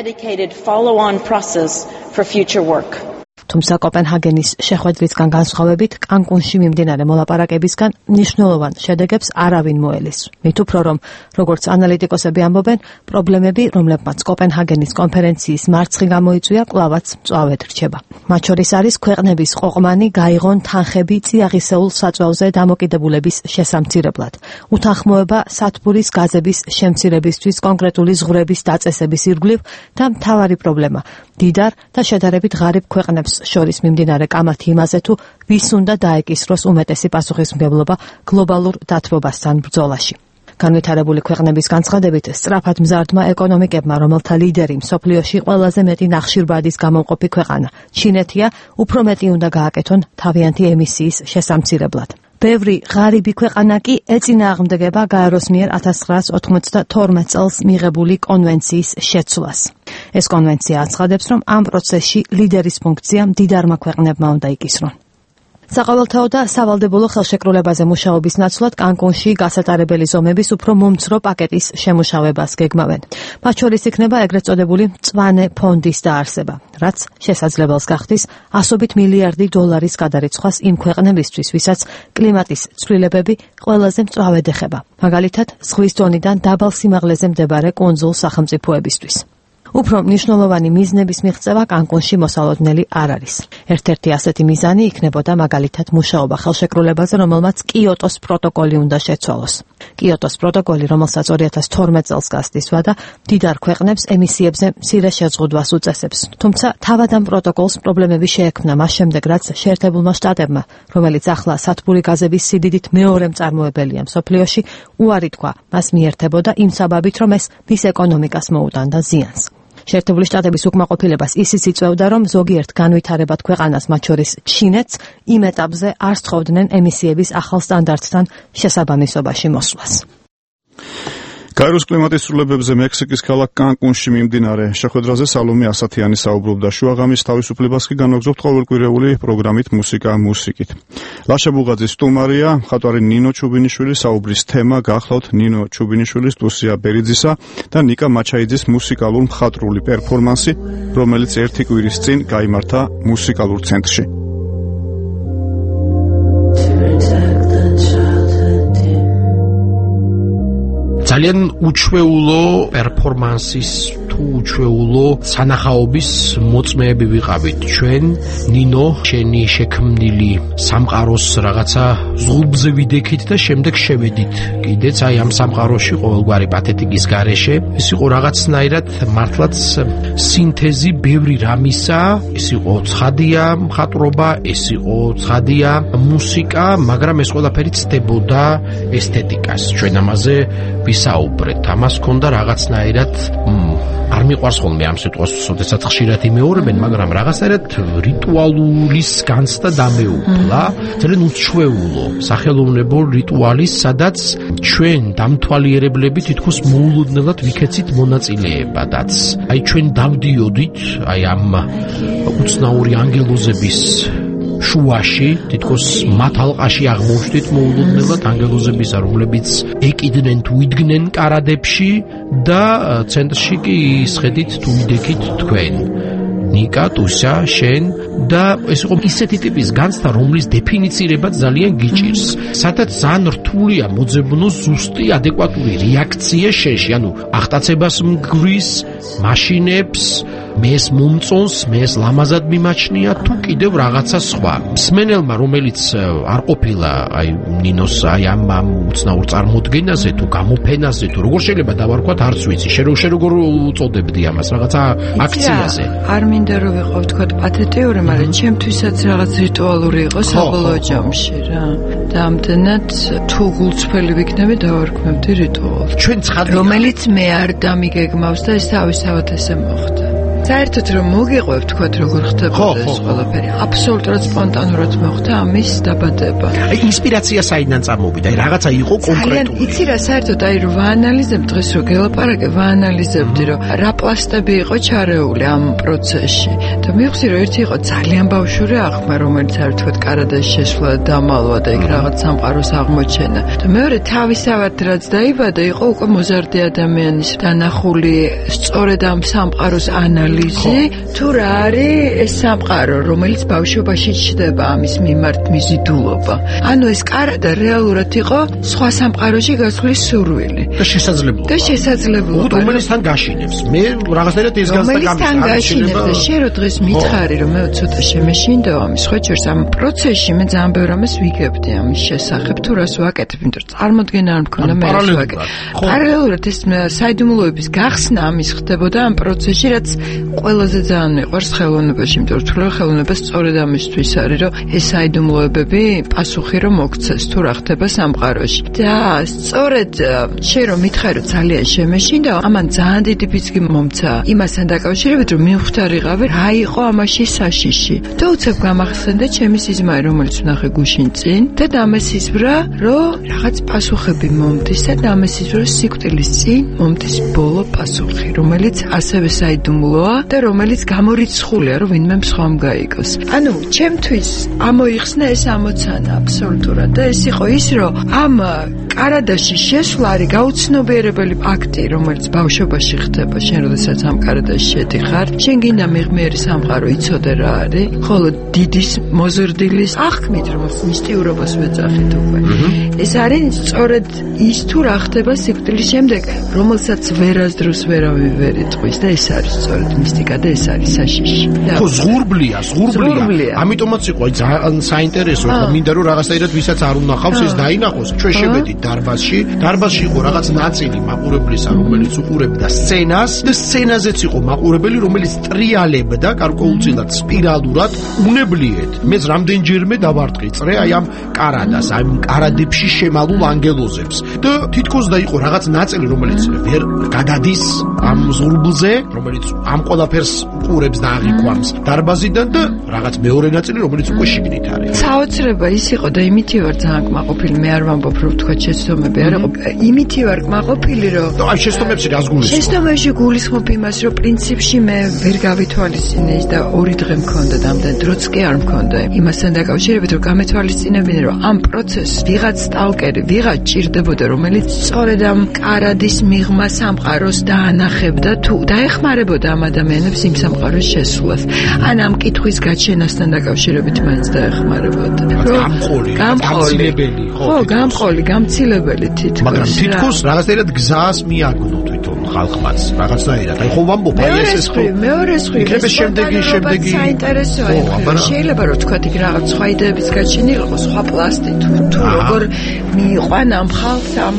თუმცა კოპენჰაგენის შეხვედრისგან განსხვავებით, კანკუნში მიმდინარე მოლაპარაკებისგან მნიშვნელოვან შედეგებს არავინ მოელის. მით უფრო რომ, როგორც ანალიტიკოსები ამბობენ, პრობლემები, რომლებმაც კოპენჰაგენის კონფერენციის მარცხი გამოიწვია, კვლავაც მწვავედ რჩება. მათ შორის არის ქვეყნების ყოყმანი გაიღონ თანხები წიაღისეულ საწვავზე დამოკიდებულების შესამცირებლად, უთანხმოება სათბურის გაზების შემცირებისთვის კონკრეტული ზღვრების დაწესების ირგვლივ და მთავარი პრობლემა, დიდარ და შედარებით ღარიბ ქვეყნებს შორის მიმდინარე კამათი იმაზე თუ ვის უნდა დაეკისროს უმეტესი პასუხისმგებლობა გლობალურ დათბობასთან ბრძოლაში. განვითარებული ქვეყნების განცხადებით, სწრაფად მზარდმა ეკონომიკებმა, რომელთა ლიდერი მსოფლიოში ყველაზე მეტი ნახშირბადის გამომყოფი ქვეყანა, ჩინეთია, უფრო მეტი უნდა გააკეთონ თავიანთი ემისიის შესამცირებლად. ბევრი ღარიბი ქვეყანა კი ეწინააღმდეგება გაეროს მიერ ათას ცხრაას ოთხმოცდათორმეტ წელს მიღებული კონვენციის შეცვლას. ეს კონვენცია აცხადებს, რომ ამ პროცესში ლიდერის ფუნქცია მდიდარმა ქვეყნებმა უნდა იკისრონ. საყოველთაო და სავალდებულო ხელშეკრულებაზე მუშაობის ნაცვლად კანკუნში გასატარებელი ზომების უფრო მომცრო პაკეტის შემუშავებას გეგმავენ. მათ შორის იქნება ეგრეთ წოდებული მწვანე ფონდის დაარსება, რაც შესაძლებელს გახდის ასობით მილიარდი დოლარის გადარიცხვას იმ ქვეყნებისთვის, ვისაც კლიმატის ცვლილებები ყველაზე მწვავედ ეხება, მაგალითად ზღვის დონიდან დაბალ სიმაღლეზე მდებარე კუნძულ სახელმწიფოებისთვის. უფრო მნიშვნელოვანი მიზნების მიღწევა კანკუნში მოსალოდნელი არ არის. ერთ-ერთი ასეთი მიზანი იქნებოდა მაგალითად მუშაობა ხელშეკრულებაზე, რომელმაც კიოტოს პროტოკოლი უნდა შეცვალოს. კიოტოს პროტოკოლი, რომელსაც ორი ათას თორმეტ წელს გასდის ვადა, მდიდარ ქვეყნებს ემისიებზე მცირე შეზღუდვას უწესებს. თუმცა თავად ამ პროტოკოლს პრობლემები შეექმნა მას შემდეგ, რაც შეერთებულმა შტატებმა, რომელიც ახლა სათბური გაზების სიდიდით მეორე მწარმოებელია მსოფლიოში, უარი თქვა მას მიერთებოდა იმ საბაბით, რომ ეს მის ეკონომიკას მოუტანდა ზიანს. შეერთებული შტატების უკმაყოფილებას ისიც იწვევდა, რომ ზოგიერთ განვითარებად ქვეყანას, მათ შორის ჩინეთს, იმ ეტაპზე არ სთხოვდნენ ემისიების ახალ სტანდარტთან შესაბამისობაში მოსვლას. გაეროს კლიმატის ცვლილებებზე მექსიკის ქალაქ კანკუნში მიმდინარე შეხვედრაზე სალომე ასათიანი საუბრობდა. შუაღამის თავისუფლებას კი განაგზობთ ყოველკვირეული პროგრამით მუსიკა მუსიკით. ლაშა ბუღაძის სტუმარია მხატვარი ნინო ჩუბინიშვილი. საუბრის თემა გახლავთ ნინო ჩუბინიშვილის, ლუსია ბერიძისა და ნიკა მაჩაიძის მუსიკალურ მხატვრული პერფორმანსი, რომელიც ერთი კვირის წინ გაიმართა მუსიკალურ ცენტრში. ძალიან უჩვეულო პერფორმანსის თუ უჩვეულო სანახაობის მოწმეები ვიყავით ჩვენ. ნინო, შენი შექმნილი სამყაროს რაღაცა ზღურბზე ვიდექით და შემდეგ შევედით კიდეც აი ამ სამყაროში ყოველგვარი პათეტიკის გარეშე. ეს იყო რაღაცნაირად მართლაც სინთეზი ბევრი რამისა. ეს იყო ცხადია მხატვრობა, ეს იყო ცხადია მუსიკა, მაგრამ ეს ყველაფერი ცდებოდა ესთეტიკას. ჩვენ ამაზე ვისაუბრეთ. ამას ჰქონდა რაღაცნაირად არ მიყვარს ხოლმე ამ სიტყვას, როდესაც ხშირად იმეორებენ, მაგრამ რაღაცნაირად რიტუალის განცდა დამეუფლა, ძალიან უჩვეულო სახელოვნებო რიტუალის, სადაც ჩვენ დამთვალიერებლები თითქოს მოულოდნელად ვიქეცით მონაწილეებადაც. აი ჩვენ დავდიოდით აი ამ უცნაური ანგელოზების შუაში, თითქოს მათ ალყაში აღმოჩნდით მოულოდნელად ანგელოზებისა, რომლებიც ეკიდნენ თუ იდგნენ კარადებში და ცენტრში კი ისხედით თუ იდექით თქვენ. ნიკა, ტუსა, შენ და ეს იყო ისეთი ტიპის განცდა, რომლის დეფინიცირება ძალიან გიჭირს. სადაც ძალიან რთულია მოძებნო ზუსტი ადეკვატური რეაქცია შენში, ანუ აღტაცებას მგრის, მაშინებს, მეს მომწონს, მეს ლამაზად მიმაჩნია თუ კიდევ რაღაცა სხვა. მსმენელმა, რომელიც არ ყოფილა აი ნინოს აი ამ უცნაურ წარმოდგენაზე თუ გამოფენაზე თუ როგორ შეიძლება დავარქვათ, არც ვიცი. შენ როგორ უწოდებდი ამას, რაღაცა აქციაზე. არ მინდა რომ ვიყავ თქვა პათეტიური, მაგრამ ჩემთვისაც რაღაც რიტუალური იყო საბოლოო ჯამში რა. და ამდენად თუ გულწრფელი ვიქნები დავარქმევდი რიტუალს. ჩვენ ცხადია, რომელიც მე არ დამიგეგმავს და ეს თავისთავად ესე მოხდა. საერთოდ რომ მოგიყვებ თქვა როგორ ხდებოდა ეს ყველაფერი აბსოლუტურად სპონტანურად მოხდა ამის დაბადება. აი ინსპირაცია საიდან წამოვიდა? აი რაღაცა იყო კონკრეტული. იცი რა საერთოდ აი რომ ვაანალიზებ დღეს რომ გელაპარაკე ვაანალიზებდი რომ რა პლასტები იყო ჩარეული ამ პროცესში და მივხვდი რომ ერთი იყო ძალიან ბავშვური აღქმა რომელიც არ თქვა კარადაში შესვლა დამალვა და იქ რაღაც სამყაროს აღმოჩენა და მეორე თავისავად რაც დაიბადა იყო უკვე მოზარდი ადამიანის დანახული სწორედ ამ სამყაროს ანალიზი თუ რა არის ეს სამყარო რომელიც ბავშვობაში ჩდება ამის მიმართ მიზიდულობა ანუ ეს კარადა რეალურად იყო სხვა სამყაროში გასვლის სურვილი და შესაძლებლობა და შესაძლებლობა რომელისთან გაშინებს მე რაღაცნაირად ეს გასდა რომელისთან გაშინებს და შე რო დღეს მითხარი რომ მე ცოტა შემეშინდა ამის ხო ჩერს ამ პროცესში მე ძალიან ბევრ ამას ვიგებდი ამის შესახებ თუ რას ვაკეთებ იმიტომ რომ წარმოდგენა არ მქონდა მე რას ვაკეთებ პარალელურად ეს საიდუმლოების გახსნა ამის ხდებოდა ამ პროცესში რაც ყველაზე ძალიან მიყვარს ხელოვნებაში იმიტომ რომ თულა ხელოვნება სწორედ ამისთვის არის რომ ეს საიდუმლოებები პასუხი რომ მოგცეს თუ რა ხდება სამყაროში და სწორედ შე რომ მითხარი რომ ძალიან შემეშინდა ამან ძალიან დიდი ფიცი მომცა იმასთან დაკავშირებით რომ მივხვდარიყავი რა იყო ამაში საშიში და უცებ გამახსენდა ჩემი სიზმარი რომელიც ვნახე გუშინ წინ და დამესიზვრა რომ რაღაც პასუხები მომდის და დამესიზვრა სიკვდილის წინ მომდის ბოლო პასუხი რომელიც ასევე საიდუმლოა და რომელიც გამორიცხულია რომ ვინმე მსხვამ გაიგოს ანუ ჩემთვის ამოიხსნა ეს ამოცანა აბსოლუტურად და ეს იყო ის რომ ამ კარადაში შესვლა არის გაუცნობიერებელი აქტი რომელიც ბავშვობაში ხდება შენ როდესაც ამ კარადაში შედიხარ შენ გინდა მიღმიერი სამყარო იცოდე რა არის ხოლო დიდის მოზრდილის აღქმით რომ მისტიურობას ვეძახით უკვე ეს არის სწორედ ის თუ რა ხდება სიკვდილის შემდეგ რომელსაც ვერასდროს ვერავინ ვერ იტყვის და ეს არის სწორედ მისტიკა და ეს არის საშიში ხო ზღურბლია ზღურბლია ამიტომაც იყო ძალიან საინტერესო ხო მინდა რომ რაღაცაირად ვისაც არ უნახავს ეს დაინახოს ჩვენ შევედით დარბაზში დარბაზში იყო რაღაც ნაწილი მაყურებლისა რომელიც უყურებდა სცენას და სცენაზეც იყო მაყურებელი რომელიც ტრიალებდა გარკვეულწილად სპირალურად უნებლიეთ მეც რამდენჯერმე დავარტყიწრე აი ამ კარადას აი ამ კარადებში შემალულ ანგელოზებს და თითქოს და იყო რაღაც ნაწილი რომელიც ვერ გადადის ამ ზღურბლზე რომელიც ამ ყველაფერს უყურებს და აღიქვამს დარბაზიდან და რაღაც მეორე ნაწილი რომელიც უკვე შიგნით არის საოცრება ის იყო და იმითი ვარ ძალიან კმაყოფილი მე არ ვამბობ რომ თქვა შეცდომები არ იყო იმითი ვარ კმაყოფილი რომ აი შეცდომებში რას გულისხმობ შეცდომებში გულისხმობ იმას რომ პრინციპში მე ვერ გავითვალისწინე და ორი დღე მქონდა და ამდენ დროც კი არ მქონდა იმასთან დაკავშირებით რომ გამეთვალისწინებინე რომ ამ პროცესს ვიღაც სტალკერი ვიღაც ჭირდებოდა რომელიც სწორედ ამ კარადის მიღმა სამყაროს დაანახებდა თუ დაეხმარებოდა ამ ადამიანებს იმ სამყაროს შესვლას ან ამ კითხვის გაჩენასთან დაკავშირებით მაინც დაეხმარებოდა გამყოლი გამცილებელი ხო გამყოლი გამცილებელი თითქოს მაგრამ თითქოს რაღაცნაირად გზას მიაგნო თვითონ ხალხმაც რაღაცნაირად აი ხო ვამბობ აი ეს ეს ხო მეორე სხვი იქნება შემდეგი შემდეგი საინტერესოა შეიძლება რომ თქვა იქ რაღაც სხვა იდეების გაჩენილიყო სხვა პლასტი თუ თუ როგორ მიიყვან ამ ხალხს ამ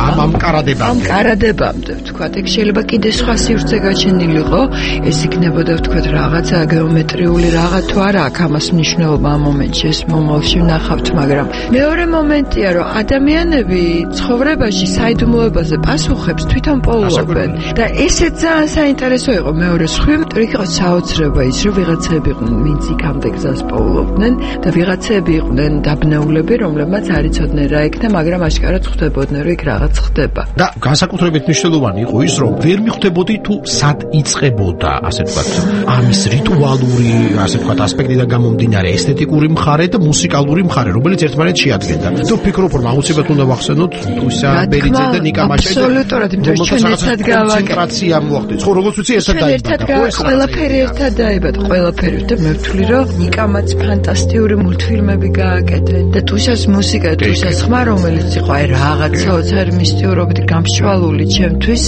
ამ ამ კარადებამდე ამ კარადებამდე თქვა იქ შეიძლება კიდე სხვა სივრცე გაჩენილიყო ეს იქნებოდა თქვა რაღაცა გეომეტრიული რაღაც თუ არა აქ ამას მნიშვნელობა ამ მომენტში ეს მომავალში ვნახავთ მაგრამ მეორე მომენტია რომ ადამიანები ცხოვრებაში საიდუმლოებაზე პასუხებს თვითონ პოულობენ და ესეც ძალიან საინტერესო იყო მეორე სხვი იმიტომ იქ იყო საოცრება ის რომ ვიღაცები იყვნენ ვინც იქამდე გზას პოულობდნენ და ვიღაცები იყვნენ დაბნეულები რომლებმაც არ იცოდნენ რა იქნა მაგრამ აშკარად ხვდებოდნენ რომ იქ რაღაც ხდება და განსაკუთრებით მნიშვნელოვანი იყო ის რომ ვერ მიხვდებოდი თუ სად იწყებოდა ასე ვთქვათ ამის რიტუალური ასე ვთქვათ ასპექტიდან გამომდინარე ესთეტიკური მხარე და მუსიკალური მხარე რომელიც ერთმანეთს შეადგენდა და ვფიქრობ რომ აუცილებლად უნდა ვახსენოთ თუისა ბერიძე და ნიკა მაჩაი აბსოლუტურად იმიტომ რომ ჩვენ ერთად გავაკეთე მოხდეთ ხო როგორც ვიცი ერთად დაიბადა ყველაფერი ერთად დაიბადა ყველაფერი და მე ვთვლი რომ ნიკამაც ფანტასტიკური მულტფილმები გააკეთე და თუშას მუსიკა თუშას ხმა რომელიც იყო აი რაღაც საოცარი მისტიურობით გამშვალული ჩემთვის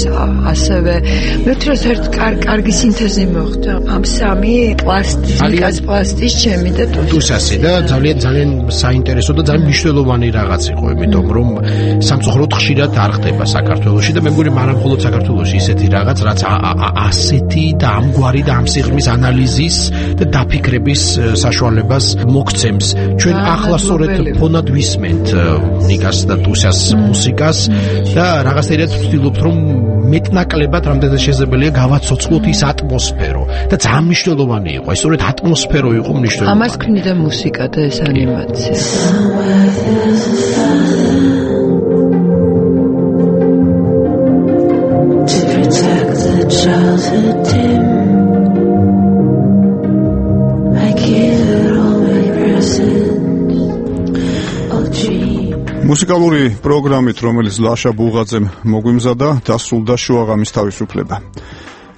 ასევე მე ვთვლი რომ ერთ კარგი სინთეზი მოხდა ამ სამი პლასტის ნიკას პლასტის ჩემი და თუშასი და ძალიან ძალიან საინტერესო და ძალიან მნიშვნელოვანი რაღაც იყო იმიტომ რომ სამწუხაროდ ხშირად არ ხდება საქართველოში და მე მგონი მაგრამ მხოლოდ საქართველოს საქართველოში ისეთი რაღაც, რაც ასეთი და ამგვარი და ამ სიღრმის ანალიზის და დაფიქრების საშუალებას მოგცემს. ჩვენ ახლა სწორედ ფონად ვისმენთ ნიკას და ტუსას მუსიკას და რაღაცნაირად ვცდილობთ, რომ მეტნაკლებად რამდენად შესაძლებელია გავაცოცხლოთ ის ატმოსფერო და ძალიან მნიშვნელოვანი იყო. ეს სწორედ ატმოსფერო იყო მნიშვნელოვანი. ამას ქმნიდა მუსიკა და ეს ანიმაცია. მუსიკალური პროგრამით, რომელიც ლაშა ბუღაძემ მოგვიმზადა, დასრულდა შუაღამის თავისუფლება.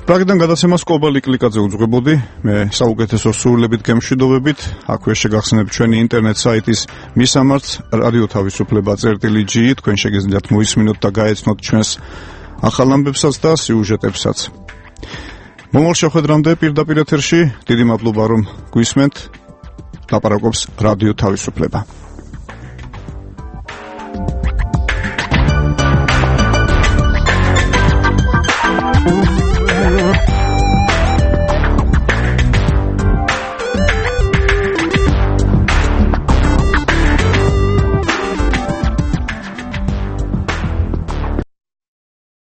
პრაგიდან გადაცემას კობალი კლიკაძე უძღვებოდი, მე საუკეთესო სურვილებით გემშვიდობებით, აქვე შეგახსენებთ ჩვენი ინტერნეტ საიტის მისამართს რადიო თავისუფლება წერტილი ჯი, თქვენ შეგიძლიათ მოისმინოთ და გაეცნოთ ჩვენს ახალ ამბებსაც და სიუჟეტებსაც. მომავალ შეხვედრამდე პირდაპირ ეთერში დიდი მადლობა რომ გვისმენთ. ლაპარაკობს რადიო თავისუფლება.